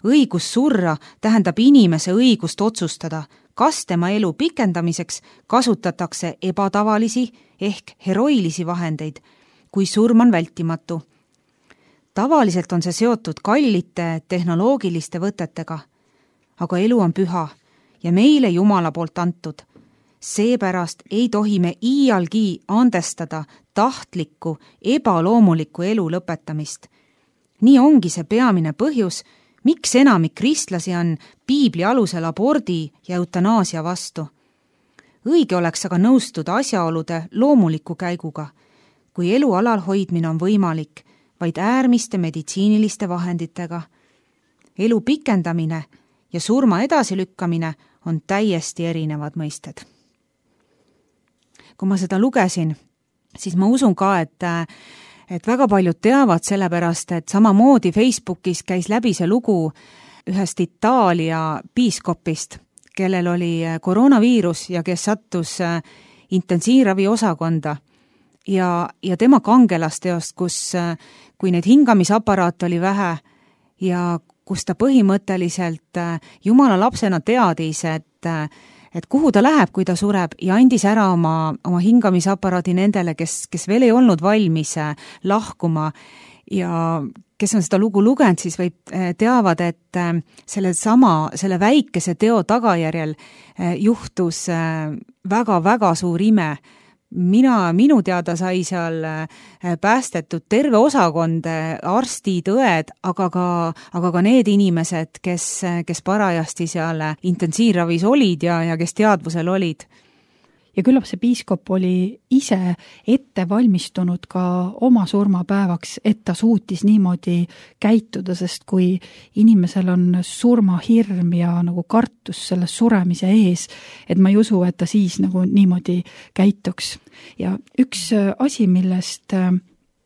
Õigus surra tähendab inimese õigust otsustada, kas tema elu pikendamiseks kasutatakse ebatavalisi ehk heroilisi vahendeid, kui surm on vältimatu. Tavaliselt on see seotud kallite tehnoloogiliste võtetega, aga elu on püha ja meile Jumala poolt antud. Seepärast ei tohi me iialgi andestada tahtlikku, ebaloomulikku elu lõpetamist. Nii ongi see peamine põhjus, miks enamik kristlasi on piibli alusel abordi ja eutanaasia vastu. Õige oleks aga nõustuda asjaolude loomuliku käiguga, kui elu alal hoidmine on võimalik, vaid äärmiste meditsiiniliste vahenditega. elu pikendamine ja surma edasilükkamine on täiesti erinevad mõisted. Kui ma seda lugesin, siis ma usun ka, et väga paljud teavad sellepärast, et samamoodi Facebookis käis läbi see lugu ühest Itaalia piiskopist, kellel oli koroonaviirus ja kes sattus intensiivravi osakonda ja tema kangelasteost, kui neid hingamisaparaate oli vähe ja kus ta põhimõtteliselt Jumala lapsena teadis, et kuhu ta läheb, kui ta sureb ja andis ära oma hingamisaparaadi nendele, kes veel ei olnud valmis lahkuma ja kes on seda lugu lugenud, siis teavad, et selle väikese teo tagajärjel juhtus väga-väga suur ime. Minu teada sai seal päästetud terve osakond, arstid, õed, aga ka need inimesed, kes parajasti seal intensiivravis olid ja kes teadvusel olid. Ja küllap see piiskop oli ise ette valmistunud ka oma surmapäevaks, et ta suutis niimoodi käituda, sest kui inimesel on surmahirm ja nagu kartus selle suremise ees, et ma ei usu, et ta siis nagu niimoodi käituks. Ja üks asi, millest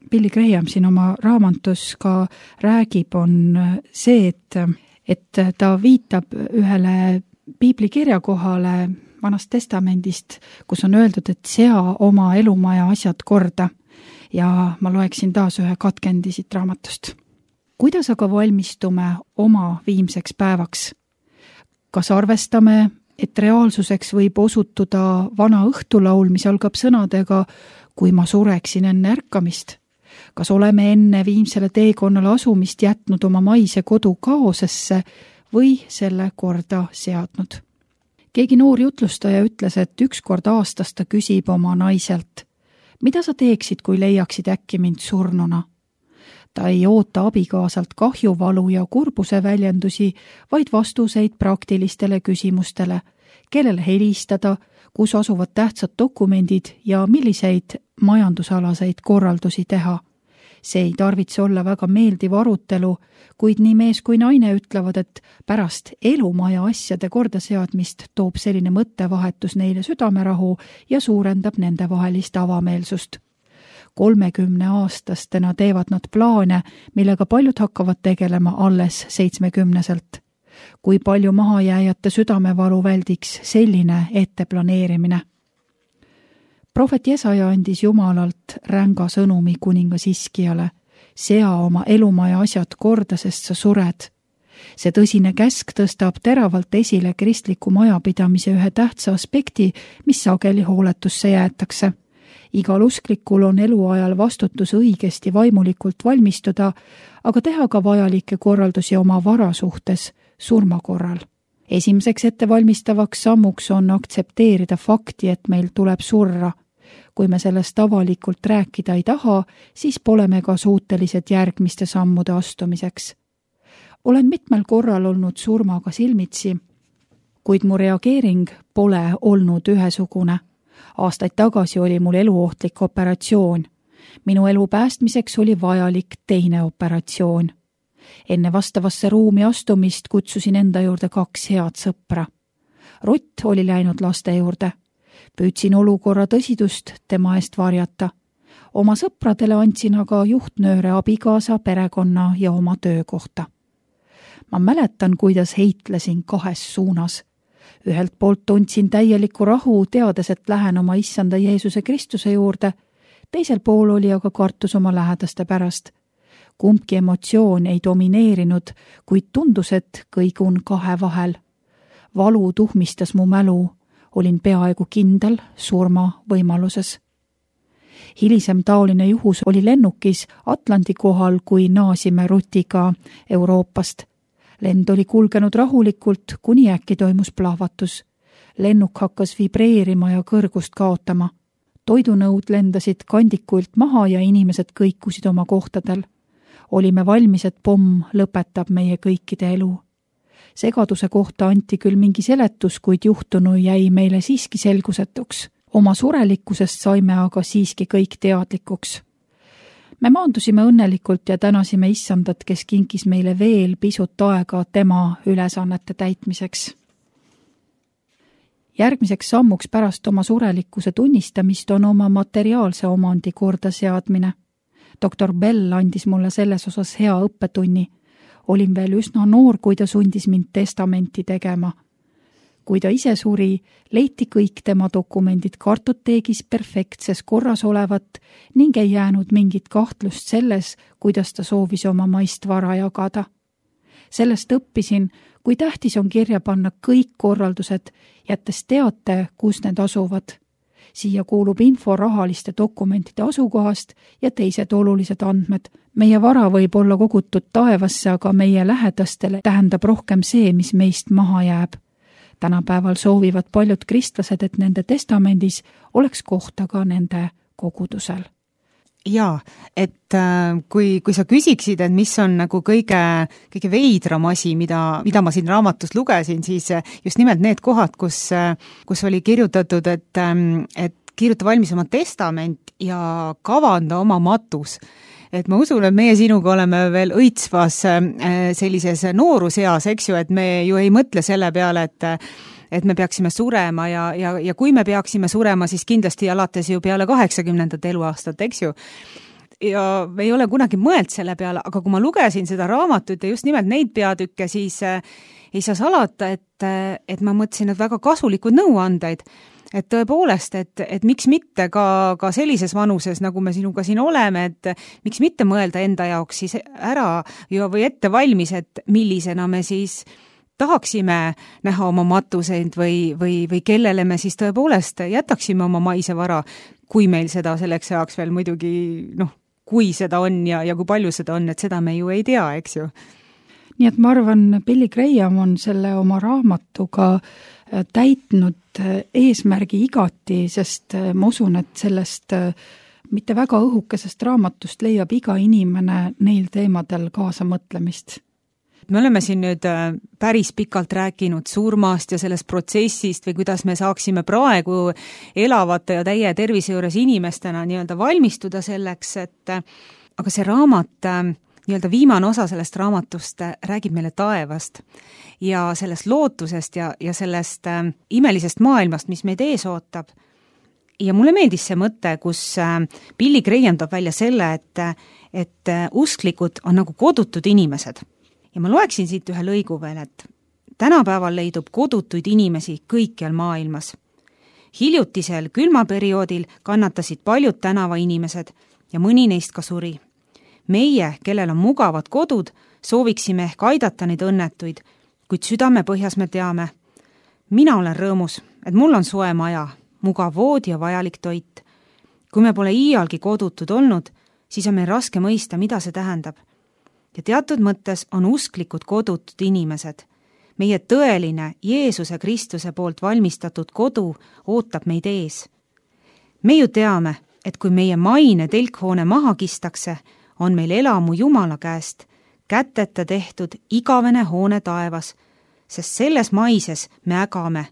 Billy Graham siin oma raamatus ka räägib, on see, et ta viitab ühele piiblikirja kohale Vanast testamendist, kus on öeldud, et sea oma elumaja asjad korda ja ma loeksin taas ühe katkendi siit raamatust. Kuidas aga valmistume oma viimseks päevaks? Kas arvestame, et reaalsuseks võib osutuda vana õhtulaul, mis algab sõnadega, kui ma sureksin enne ärkamist? Kas oleme enne viimsele teekonnale asumist jätnud oma maise kodu kaosesse või selle korda seadnud? Keegi noor jutlustaja ütles, et ükskord aastas ta küsib oma naiselt, mida sa teeksid, kui leiaksid äkki mind surnuna? Ta ei oota abikaasalt kahjuvalu ja kurbuse väljendusi, vaid vastuseid praktilistele küsimustele, kellele helistada, kus asuvad tähtsad dokumendid ja milliseid majandusalaseid korraldusi teha. See ei tarvitse olla väga meeldiv arutelu, kuid nii mees kui naine ütlevad, et pärast elumaja asjade kordaseadmist toob selline mõttevahetus neile südamerahu ja suurendab nende vahelist avameelsust. 30-aastastena teevad nad plaane, millega paljud hakkavad tegelema alles 70-selt. Kui palju mahajääjate südamevalu väldiks selline etteplaneerimine? Prohvet Jesaja andis Jumalalt ränga sõnumi kuningas Hiskiale. Sea oma elumaja asjad korda, sest sa sured. See tõsine käsk tõstab teravalt esile kristliku majapidamise ühe tähtsa aspekti, mis sageli hooletusse jäetakse. Igal usklikul on eluajal vastutus õigesti vaimulikult valmistuda, aga teha ka vajalikke korraldusi oma vara suhtes surma korral. Esimeseks ettevalmistavaks sammuks on aktsepteerida fakti, et meil tuleb surra. Kui me sellest avalikult rääkida ei taha, siis pole me ka suutelised järgmiste sammude astumiseks. Olen mitmel korral olnud surmaga silmitsi, kuid mu reageering pole olnud ühesugune. Aastaid tagasi oli mul eluohtlik operatsioon. Minu elu päästmiseks oli vajalik teine operatsioon. Enne vastavasse ruumi astumist kutsusin enda juurde 2 head sõpra. Rutt oli läinud laste juurde. Püüdsin olukorra tõsidust tema eest varjata. Oma sõpradele andsin aga juhtnööre abikaasa, perekonna ja oma töökohta. Ma mäletan, kuidas heitlesin 2 suunas. Ühelt poolt tundsin täielikku rahu, teades, et lähen oma issanda Jeesuse Kristuse juurde. Teisel pool oli aga kartus oma lähedaste pärast. Kumbki emotsioon ei domineerinud, kuid tundus, et kõigun 2 vahel. Valu tuhmistas mu mälu. Olin peaaegu kindel surma võimaluses. Hilisem taoline juhus oli lennukis Atlandi kohal, kui naasime Rutiga Euroopast. Lend oli kulgenud rahulikult, kuni äkki toimus plahvatus. Lennuk hakkas vibreerima ja kõrgust kaotama. Toidunõud lendasid kandikult maha ja inimesed kõikusid oma kohtadel. Olime valmis, et pomm lõpetab meie kõikide elu. Segaduse kohta anti küll mingi seletus, kuid juhtunu jäi meile siiski selgusetuks. Oma surelikkusest saime aga siiski kõik teadlikuks. me maandusime õnnelikult ja tänasime issandat, kes kinkis meile veel pisut aega tema ülesannete täitmiseks. Järgmiseks sammuks pärast oma surelikkuse tunnistamist on oma materiaalse omandi korda seadmine. Dr. Bell andis mulle selles osas hea õppetunni. Olin veel üsna noor, kui ta sundis mind testamenti tegema. Kui ta ise suri, leiti kõik tema dokumendid kartoteegis perfektses korras olevat ning ei jäänud mingit kahtlust selles, kuidas ta soovis oma maist vara jagada. Sellest õppisin, kui tähtis on kirja panna kõik korraldused, jättes teate, kus need asuvad. Siia kuulub info rahaliste dokumentide asukohast ja teised olulised andmed. Meie vara võib olla kogutud taevasse, aga meie lähedastele tähendab rohkem see, mis meist maha jääb. Tänapäeval soovivad paljud kristlased, et nende testamendis oleks kohta ka nende kogudusel. Jaa, et kui sa küsiksid, et mis on nagu kõige veidram asi, mida ma siin raamatus lugesin, siis just nimelt need kohad, kus oli kirjutatud, et kirjuta valmis oma testament ja kavanda oma matus. Et ma usun, et meie sinuga oleme veel õitsvas sellises nooruseas, eks ju, et me ju ei mõtle selle peale, et me peaksime surema ja kui me peaksime surema, siis kindlasti alates ju peale 80. eluaastat, eks ju. Ja me ei ole kunagi mõeld selle peale, aga kui ma lugesin seda raamatut ja just nimelt neid peatükke, siis ei saa salata, et ma mõtlesin, et väga kasulikud nõuandeid. Et tõepoolest, et miks mitte ka sellises vanuses, nagu me sinuga siin oleme, et miks mitte mõelda enda jaoks siis ära või ette valmis, et millisena me siis tahaksime näha oma matuseid või kellele me siis tõepoolest jätaksime oma maise vara, kui meil seda selleks ajaks veel muidugi, kui seda on ja kui palju seda on, et seda me ju ei tea, eks ju. Nii et ma arvan, Billy Graham on selle oma raamatuga täitnud eesmärgi igati, sest ma usun, et sellest mitte väga õhukesest raamatust leiab iga inimene neil teemadel kaasa mõtlemist. Me oleme siin nüüd päris pikalt rääkinud surmast ja sellest protsessist või kuidas me saaksime praegu elavate ja täie tervise juures inimestena nii-öelda valmistuda selleks, aga see raamat, nii-öelda viimane osa sellest raamatust räägib meile taevast ja sellest lootusest ja sellest imelisest maailmast, mis meid ees ootab. Ja mulle meeldis see mõte, kus Billy Graham toob välja selle, et usklikud on nagu kodutud inimesed. Ja ma loeksin siit ühe lõigu veel, et tänapäeval leidub kodutuid inimesi kõikjal maailmas. Hiljutisel külmaperioodil kannatasid paljud tänavainimesed ja mõni neist ka suri. Meie, kellel on mugavad kodud, sooviksime ehk aidata neid õnnetuid, kuid südame põhjas me teame. Mina olen rõõmus, et mul on soe maja, mugav vood ja vajalik toit. Kui me pole iialgi kodutud olnud, siis on meil raske mõista, mida see tähendab. Ja teatud mõttes on usklikud kodutud inimesed. Meie tõeline Jeesuse Kristuse poolt valmistatud kodu ootab meid ees. Me ju teame, et kui meie maine telkhoone maha kistakse, on meil elamu Jumala käest, käteta tehtud igavene hoone taevas, sest selles maises me ägame,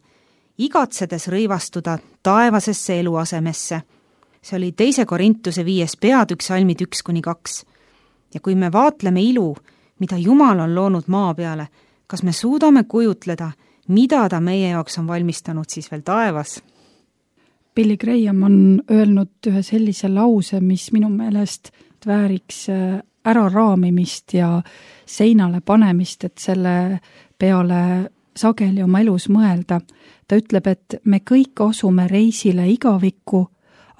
igatsedes rõivastuda taevasesse eluasemesse. See oli 2. Korintuse 5. peatükk salmid 1-2. Ja kui me vaatleme ilu, mida Jumal on loonud maa peale, kas me suudame kujutleda, mida ta meie jaoks on valmistanud siis veel taevas? Billy Graham on öelnud ühe sellise lause, mis minu meelest vääriks äraraamimist ja seinale panemist, et selle peale sageli oma elus mõelda. Ta ütleb, et me kõik asume reisile igavikku,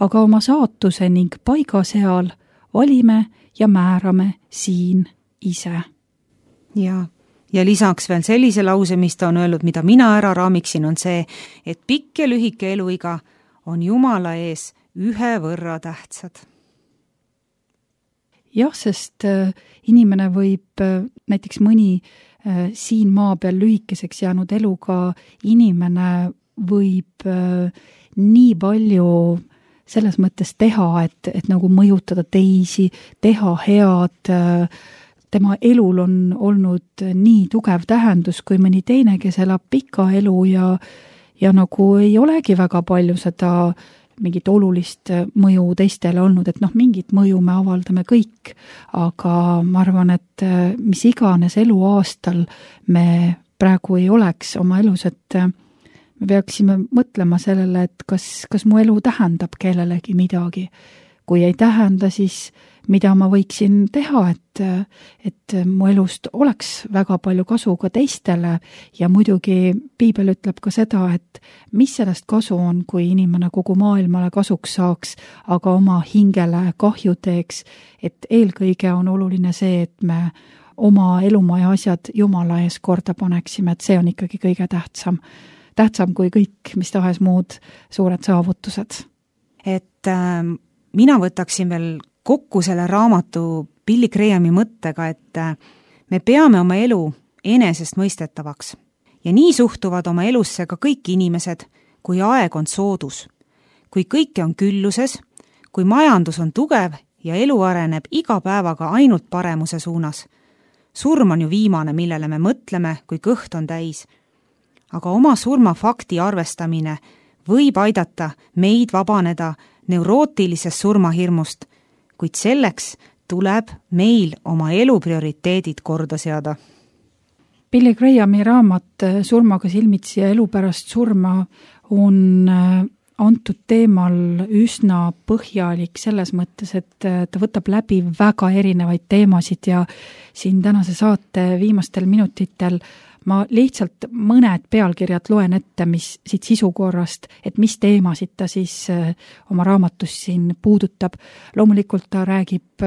aga oma saatuse ning paiga seal valime ja määrame siin ise. Ja lisaks veel sellise lause, mis ta on öelnud, mida mina ära raamiksin, on see, et pikk ja lühike eluiga on Jumala ees ühe võrra tähtsad. Jah, sest inimene võib, näiteks mõni siin maa peal lühikeseks jäänud eluga inimene võib nii palju selles mõttes teha, et nagu mõjutada teisi, teha head. Tema elul on olnud nii tugev tähendus, kui mõni teine, kes elab pika elu ja nagu ei olegi väga palju seda mingit olulist mõju teistele olnud, et mingit mõju me avaldame kõik, aga ma arvan, et mis iganes eluaastal me praegu ei oleks oma elus, et me peaksime mõtlema sellele, et kas mu elu tähendab kellelegi midagi. Kui ei tähenda, siis mida ma võiksin teha, et mu elust oleks väga palju kasu ka teistele ja muidugi piibel ütleb ka seda, et mis sellest kasu on, kui inimene kogu maailmale kasuks saaks, aga oma hingele kahju teeks, et eelkõige on oluline see, et me oma elumaja asjad Jumala ees korda paneksime, et see on ikkagi kõige tähtsam kui kõik, mis tahes muud suured saavutused. Et mina võtaksin veel kokku selle raamatu Billy Grahami mõttega, et me peame oma elu enesestmõistetavaks ja nii suhtuvad oma elusse ka kõik inimesed, kui aeg on soodus, kui kõike on külluses, kui majandus on tugev ja elu areneb iga päevaga ainult paremuse suunas. Surm on ju viimane, millele me mõtleme, kui kõht on täis. Aga oma surmafakti arvestamine võib aidata meid vabaneda neurootilisest surmahirmust, kuid selleks tuleb meil oma elu prioriteedid korda seada. Billy Grahami raamat Surmaga silmitsi ja elu pärast surma on antud teemal üsna põhjalik selles mõttes, et ta võtab läbi väga erinevaid teemasid ja siin tänase saate viimastel minutitel ma lihtsalt mõned pealkirjad loen ette, mis siit sisukorrast, et mis teemasid ta siis oma raamatus siin puudutab. Loomulikult ta räägib,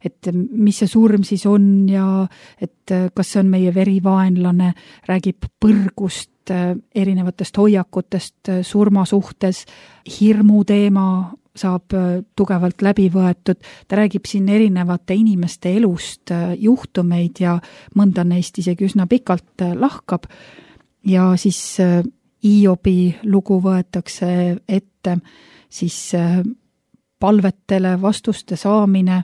et mis see surm siis on ja et kas see on meie verivaenlane, räägib põrgust, erinevatest hoiakutest surma suhtes, hirmu teema saab tugevalt läbi võetud. Ta räägib siin erinevate inimeste elust juhtumeid ja mõnda neist isegi üsna pikalt lahkab. Ja siis Hiobi lugu võetakse ette, siis palvetele vastuste saamine,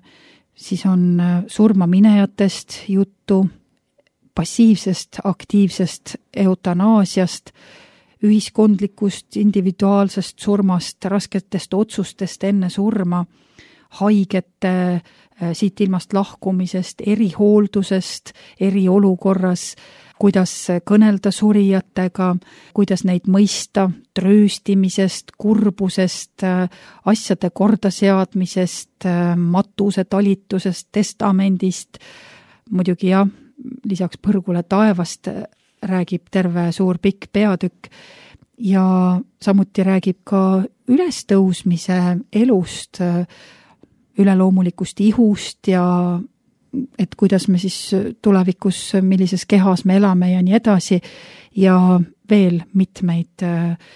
siis on surmaminejatest juttu, passiivsest, aktiivsest eutanaasiast, ühiskondlikust, individuaalsest surmast, rasketest otsustest enne surma, haigete siit ilmast lahkumisest, erihooldusest, eriolukorras, kuidas kõnelda surijatega, kuidas neid mõista, trööstimisest, kurbusest, asjade kordaseadmisest, matuse talitusest, testamendist, muidugi jah, lisaks põrgule taevast räägib terve suur pikk peatükk ja samuti räägib ka ülestõusmise elust, üleloomulikust ihust ja et kuidas me siis tulevikus, millises kehas me elame ja nii edasi ja veel mitmeid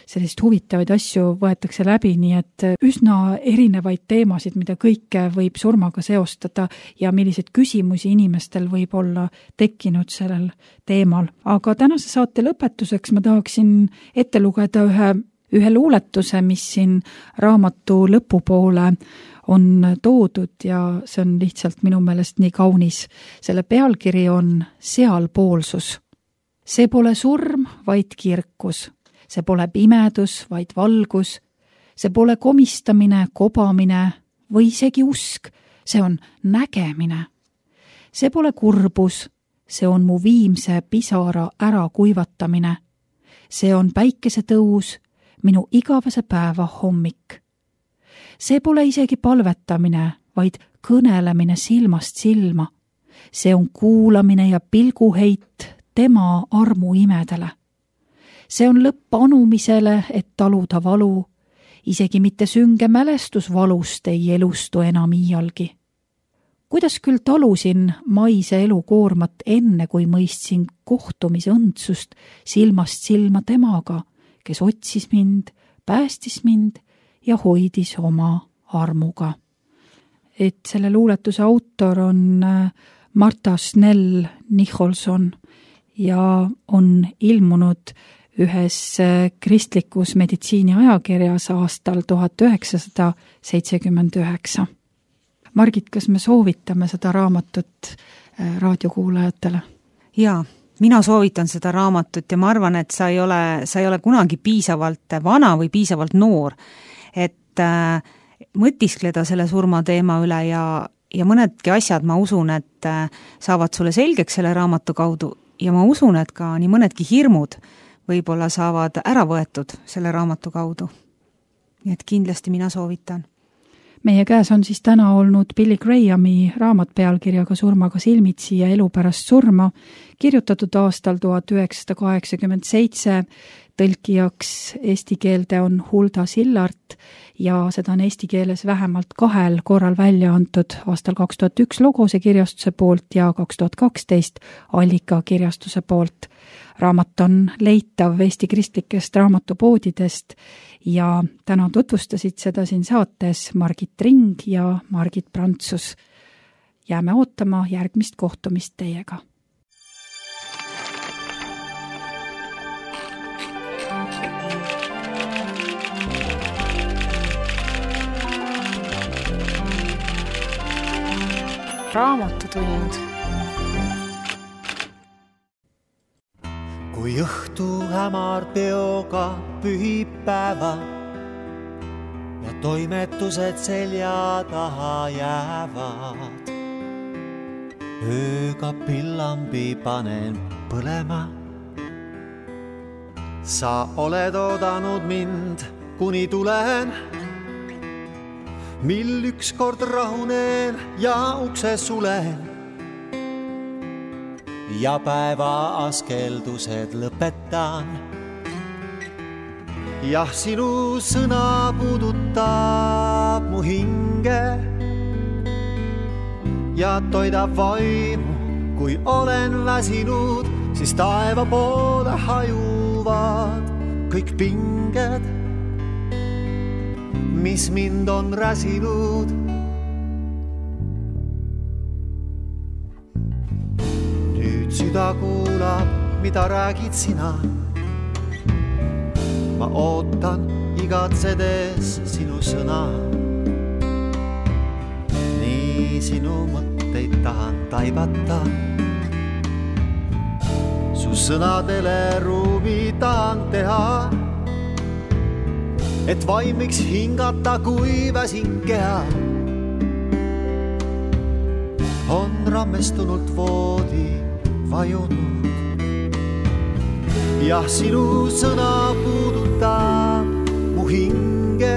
sellist huvitavaid asju võetakse läbi, nii et üsna erinevaid teemasid, mida kõike võib surmaga seostada ja milliseid küsimusi inimestel võib olla tekkinud sellel teemal. Aga tänase saate lõpetuseks ma tahaksin ette lugeda ühe luuletuse, mis siin raamatu lõpupoole on toodud ja see on lihtsalt minu meelest nii kaunis. Selle pealkiri on Sealpoolsus. See pole surm, vaid kirkus. See pole pimedus, vaid valgus. See pole komistamine, kobamine või isegi usk. See on nägemine. See pole kurbus. See on mu viimse pisara ära kuivatamine. See on päikesetõus, minu igavese päeva hommik. See pole isegi palvetamine, vaid kõnelemine silmast silma. See on kuulamine ja pilguheit tema armu imedele. See on lõpp anumisele, et taluda valu, isegi mitte sünge mälestus valust ei elustu enam iialgi. Kuidas küll talusin maise elu koormat enne, kui mõistsin kohtumise õndsust silmast silma temaga, kes otsis mind, päästis mind ja hoidis oma armuga. Et selle luuletuse autor on Martha Snell Nicholson ja on ilmunud ühes kristlikus meditsiiniajakirjas aastal 1979. Margit, kas me soovitame seda raamatut raadiokuulajatele? Jaa, mina soovitan seda raamatut ja ma arvan, et sa ei ole kunagi piisavalt vana või piisavalt noor, et mõtiskleda selle surmateema üle ja mõnedki asjad, ma usun, et saavad sulle selgeks selle raamatu kaudu ja ma usun, et ka nii mõnedki hirmud võib-olla saavad ära võetud selle raamatu kaudu. Nii et kindlasti mina soovitan. Meie käes on siis täna olnud Billy Grahami raamat pealkirjaga Surmaga silmitsi ja elu pärast surma, kirjutatud aastal 1987, tõlkijaks eesti keelde on Hulda Sillart ja seda on eesti keeles vähemalt 2 korral välja antud aastal 2001 Logose kirjastuse poolt ja 2012 Allika kirjastuse poolt. Raamat on leitav Eesti kristlikest raamatupoodidest ja täna tutvustasid seda siin saates Margit Ring ja Margit Prantsus. Jääme ootama järgmist kohtumist teiega. Raamatutund. Kui õhtu hämar peoga pühipäeva ja toimetused selja taha jäävad, ööga pillambi panen põlema. Sa oled oodanud mind, kuni tulen, mil ükskord rahunen ja ukse sulen. Ja päeva askeldused lõpetan. Jah, sinu sõna puudutab mu hinge ja toidab vaimu, kui olen väsinud, siis taeva poole hajuvad kõik pinged, mis mind on räsinud. Süda kuulab, mida räägid sina. Ma ootan igatsedes sinu sõna. Nii sinu mõtteid tahan taibata. Su sõnadele ruumi tahan teha, et vaimiks hingata, kui väsin keha. On rammestunult voodi vajunud. Jah, sinu sõna puudutab mu hinge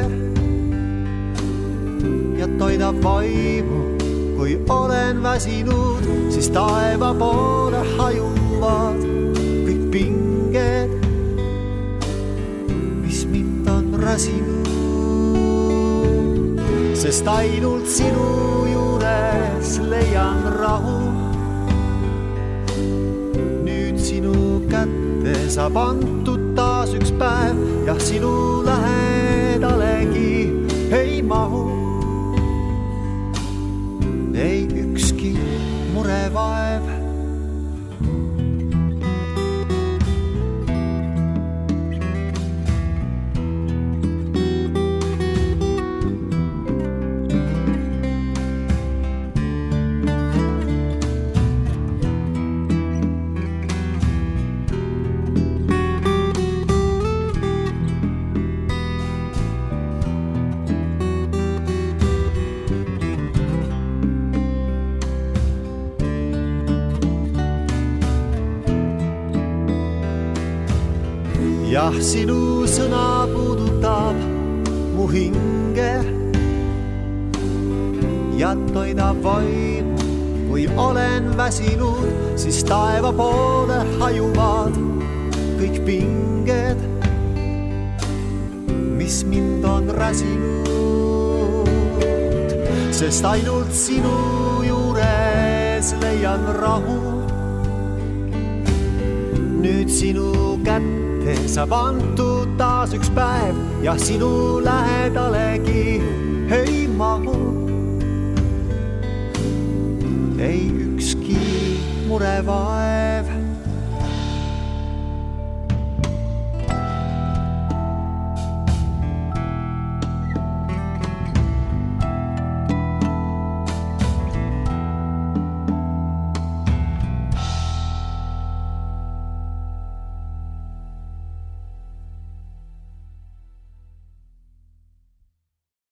ja toidab vaimu, kui olen väsinud, siis taeva poole hajuvad kõik pinged, mis mind on räsinud. Sest ainult sinu juures leian rahu. Sinu kätte saab antud taas üks päev, jah, sinu lähedalegi ei mahu. Ei ükski murevaev. Jah, sinu sõna puudutab mu hinge ja toidab vaimu, kui olen väsinud, siis taeva poole hajuvad kõik pinged, mis mind on räsinud. Sest ainult sinu juures leian rahu. Nüüd sinu kätte saab antud taas üks päev, jah, sinu lähedalegi ei mahu. Ei ükski murevaev.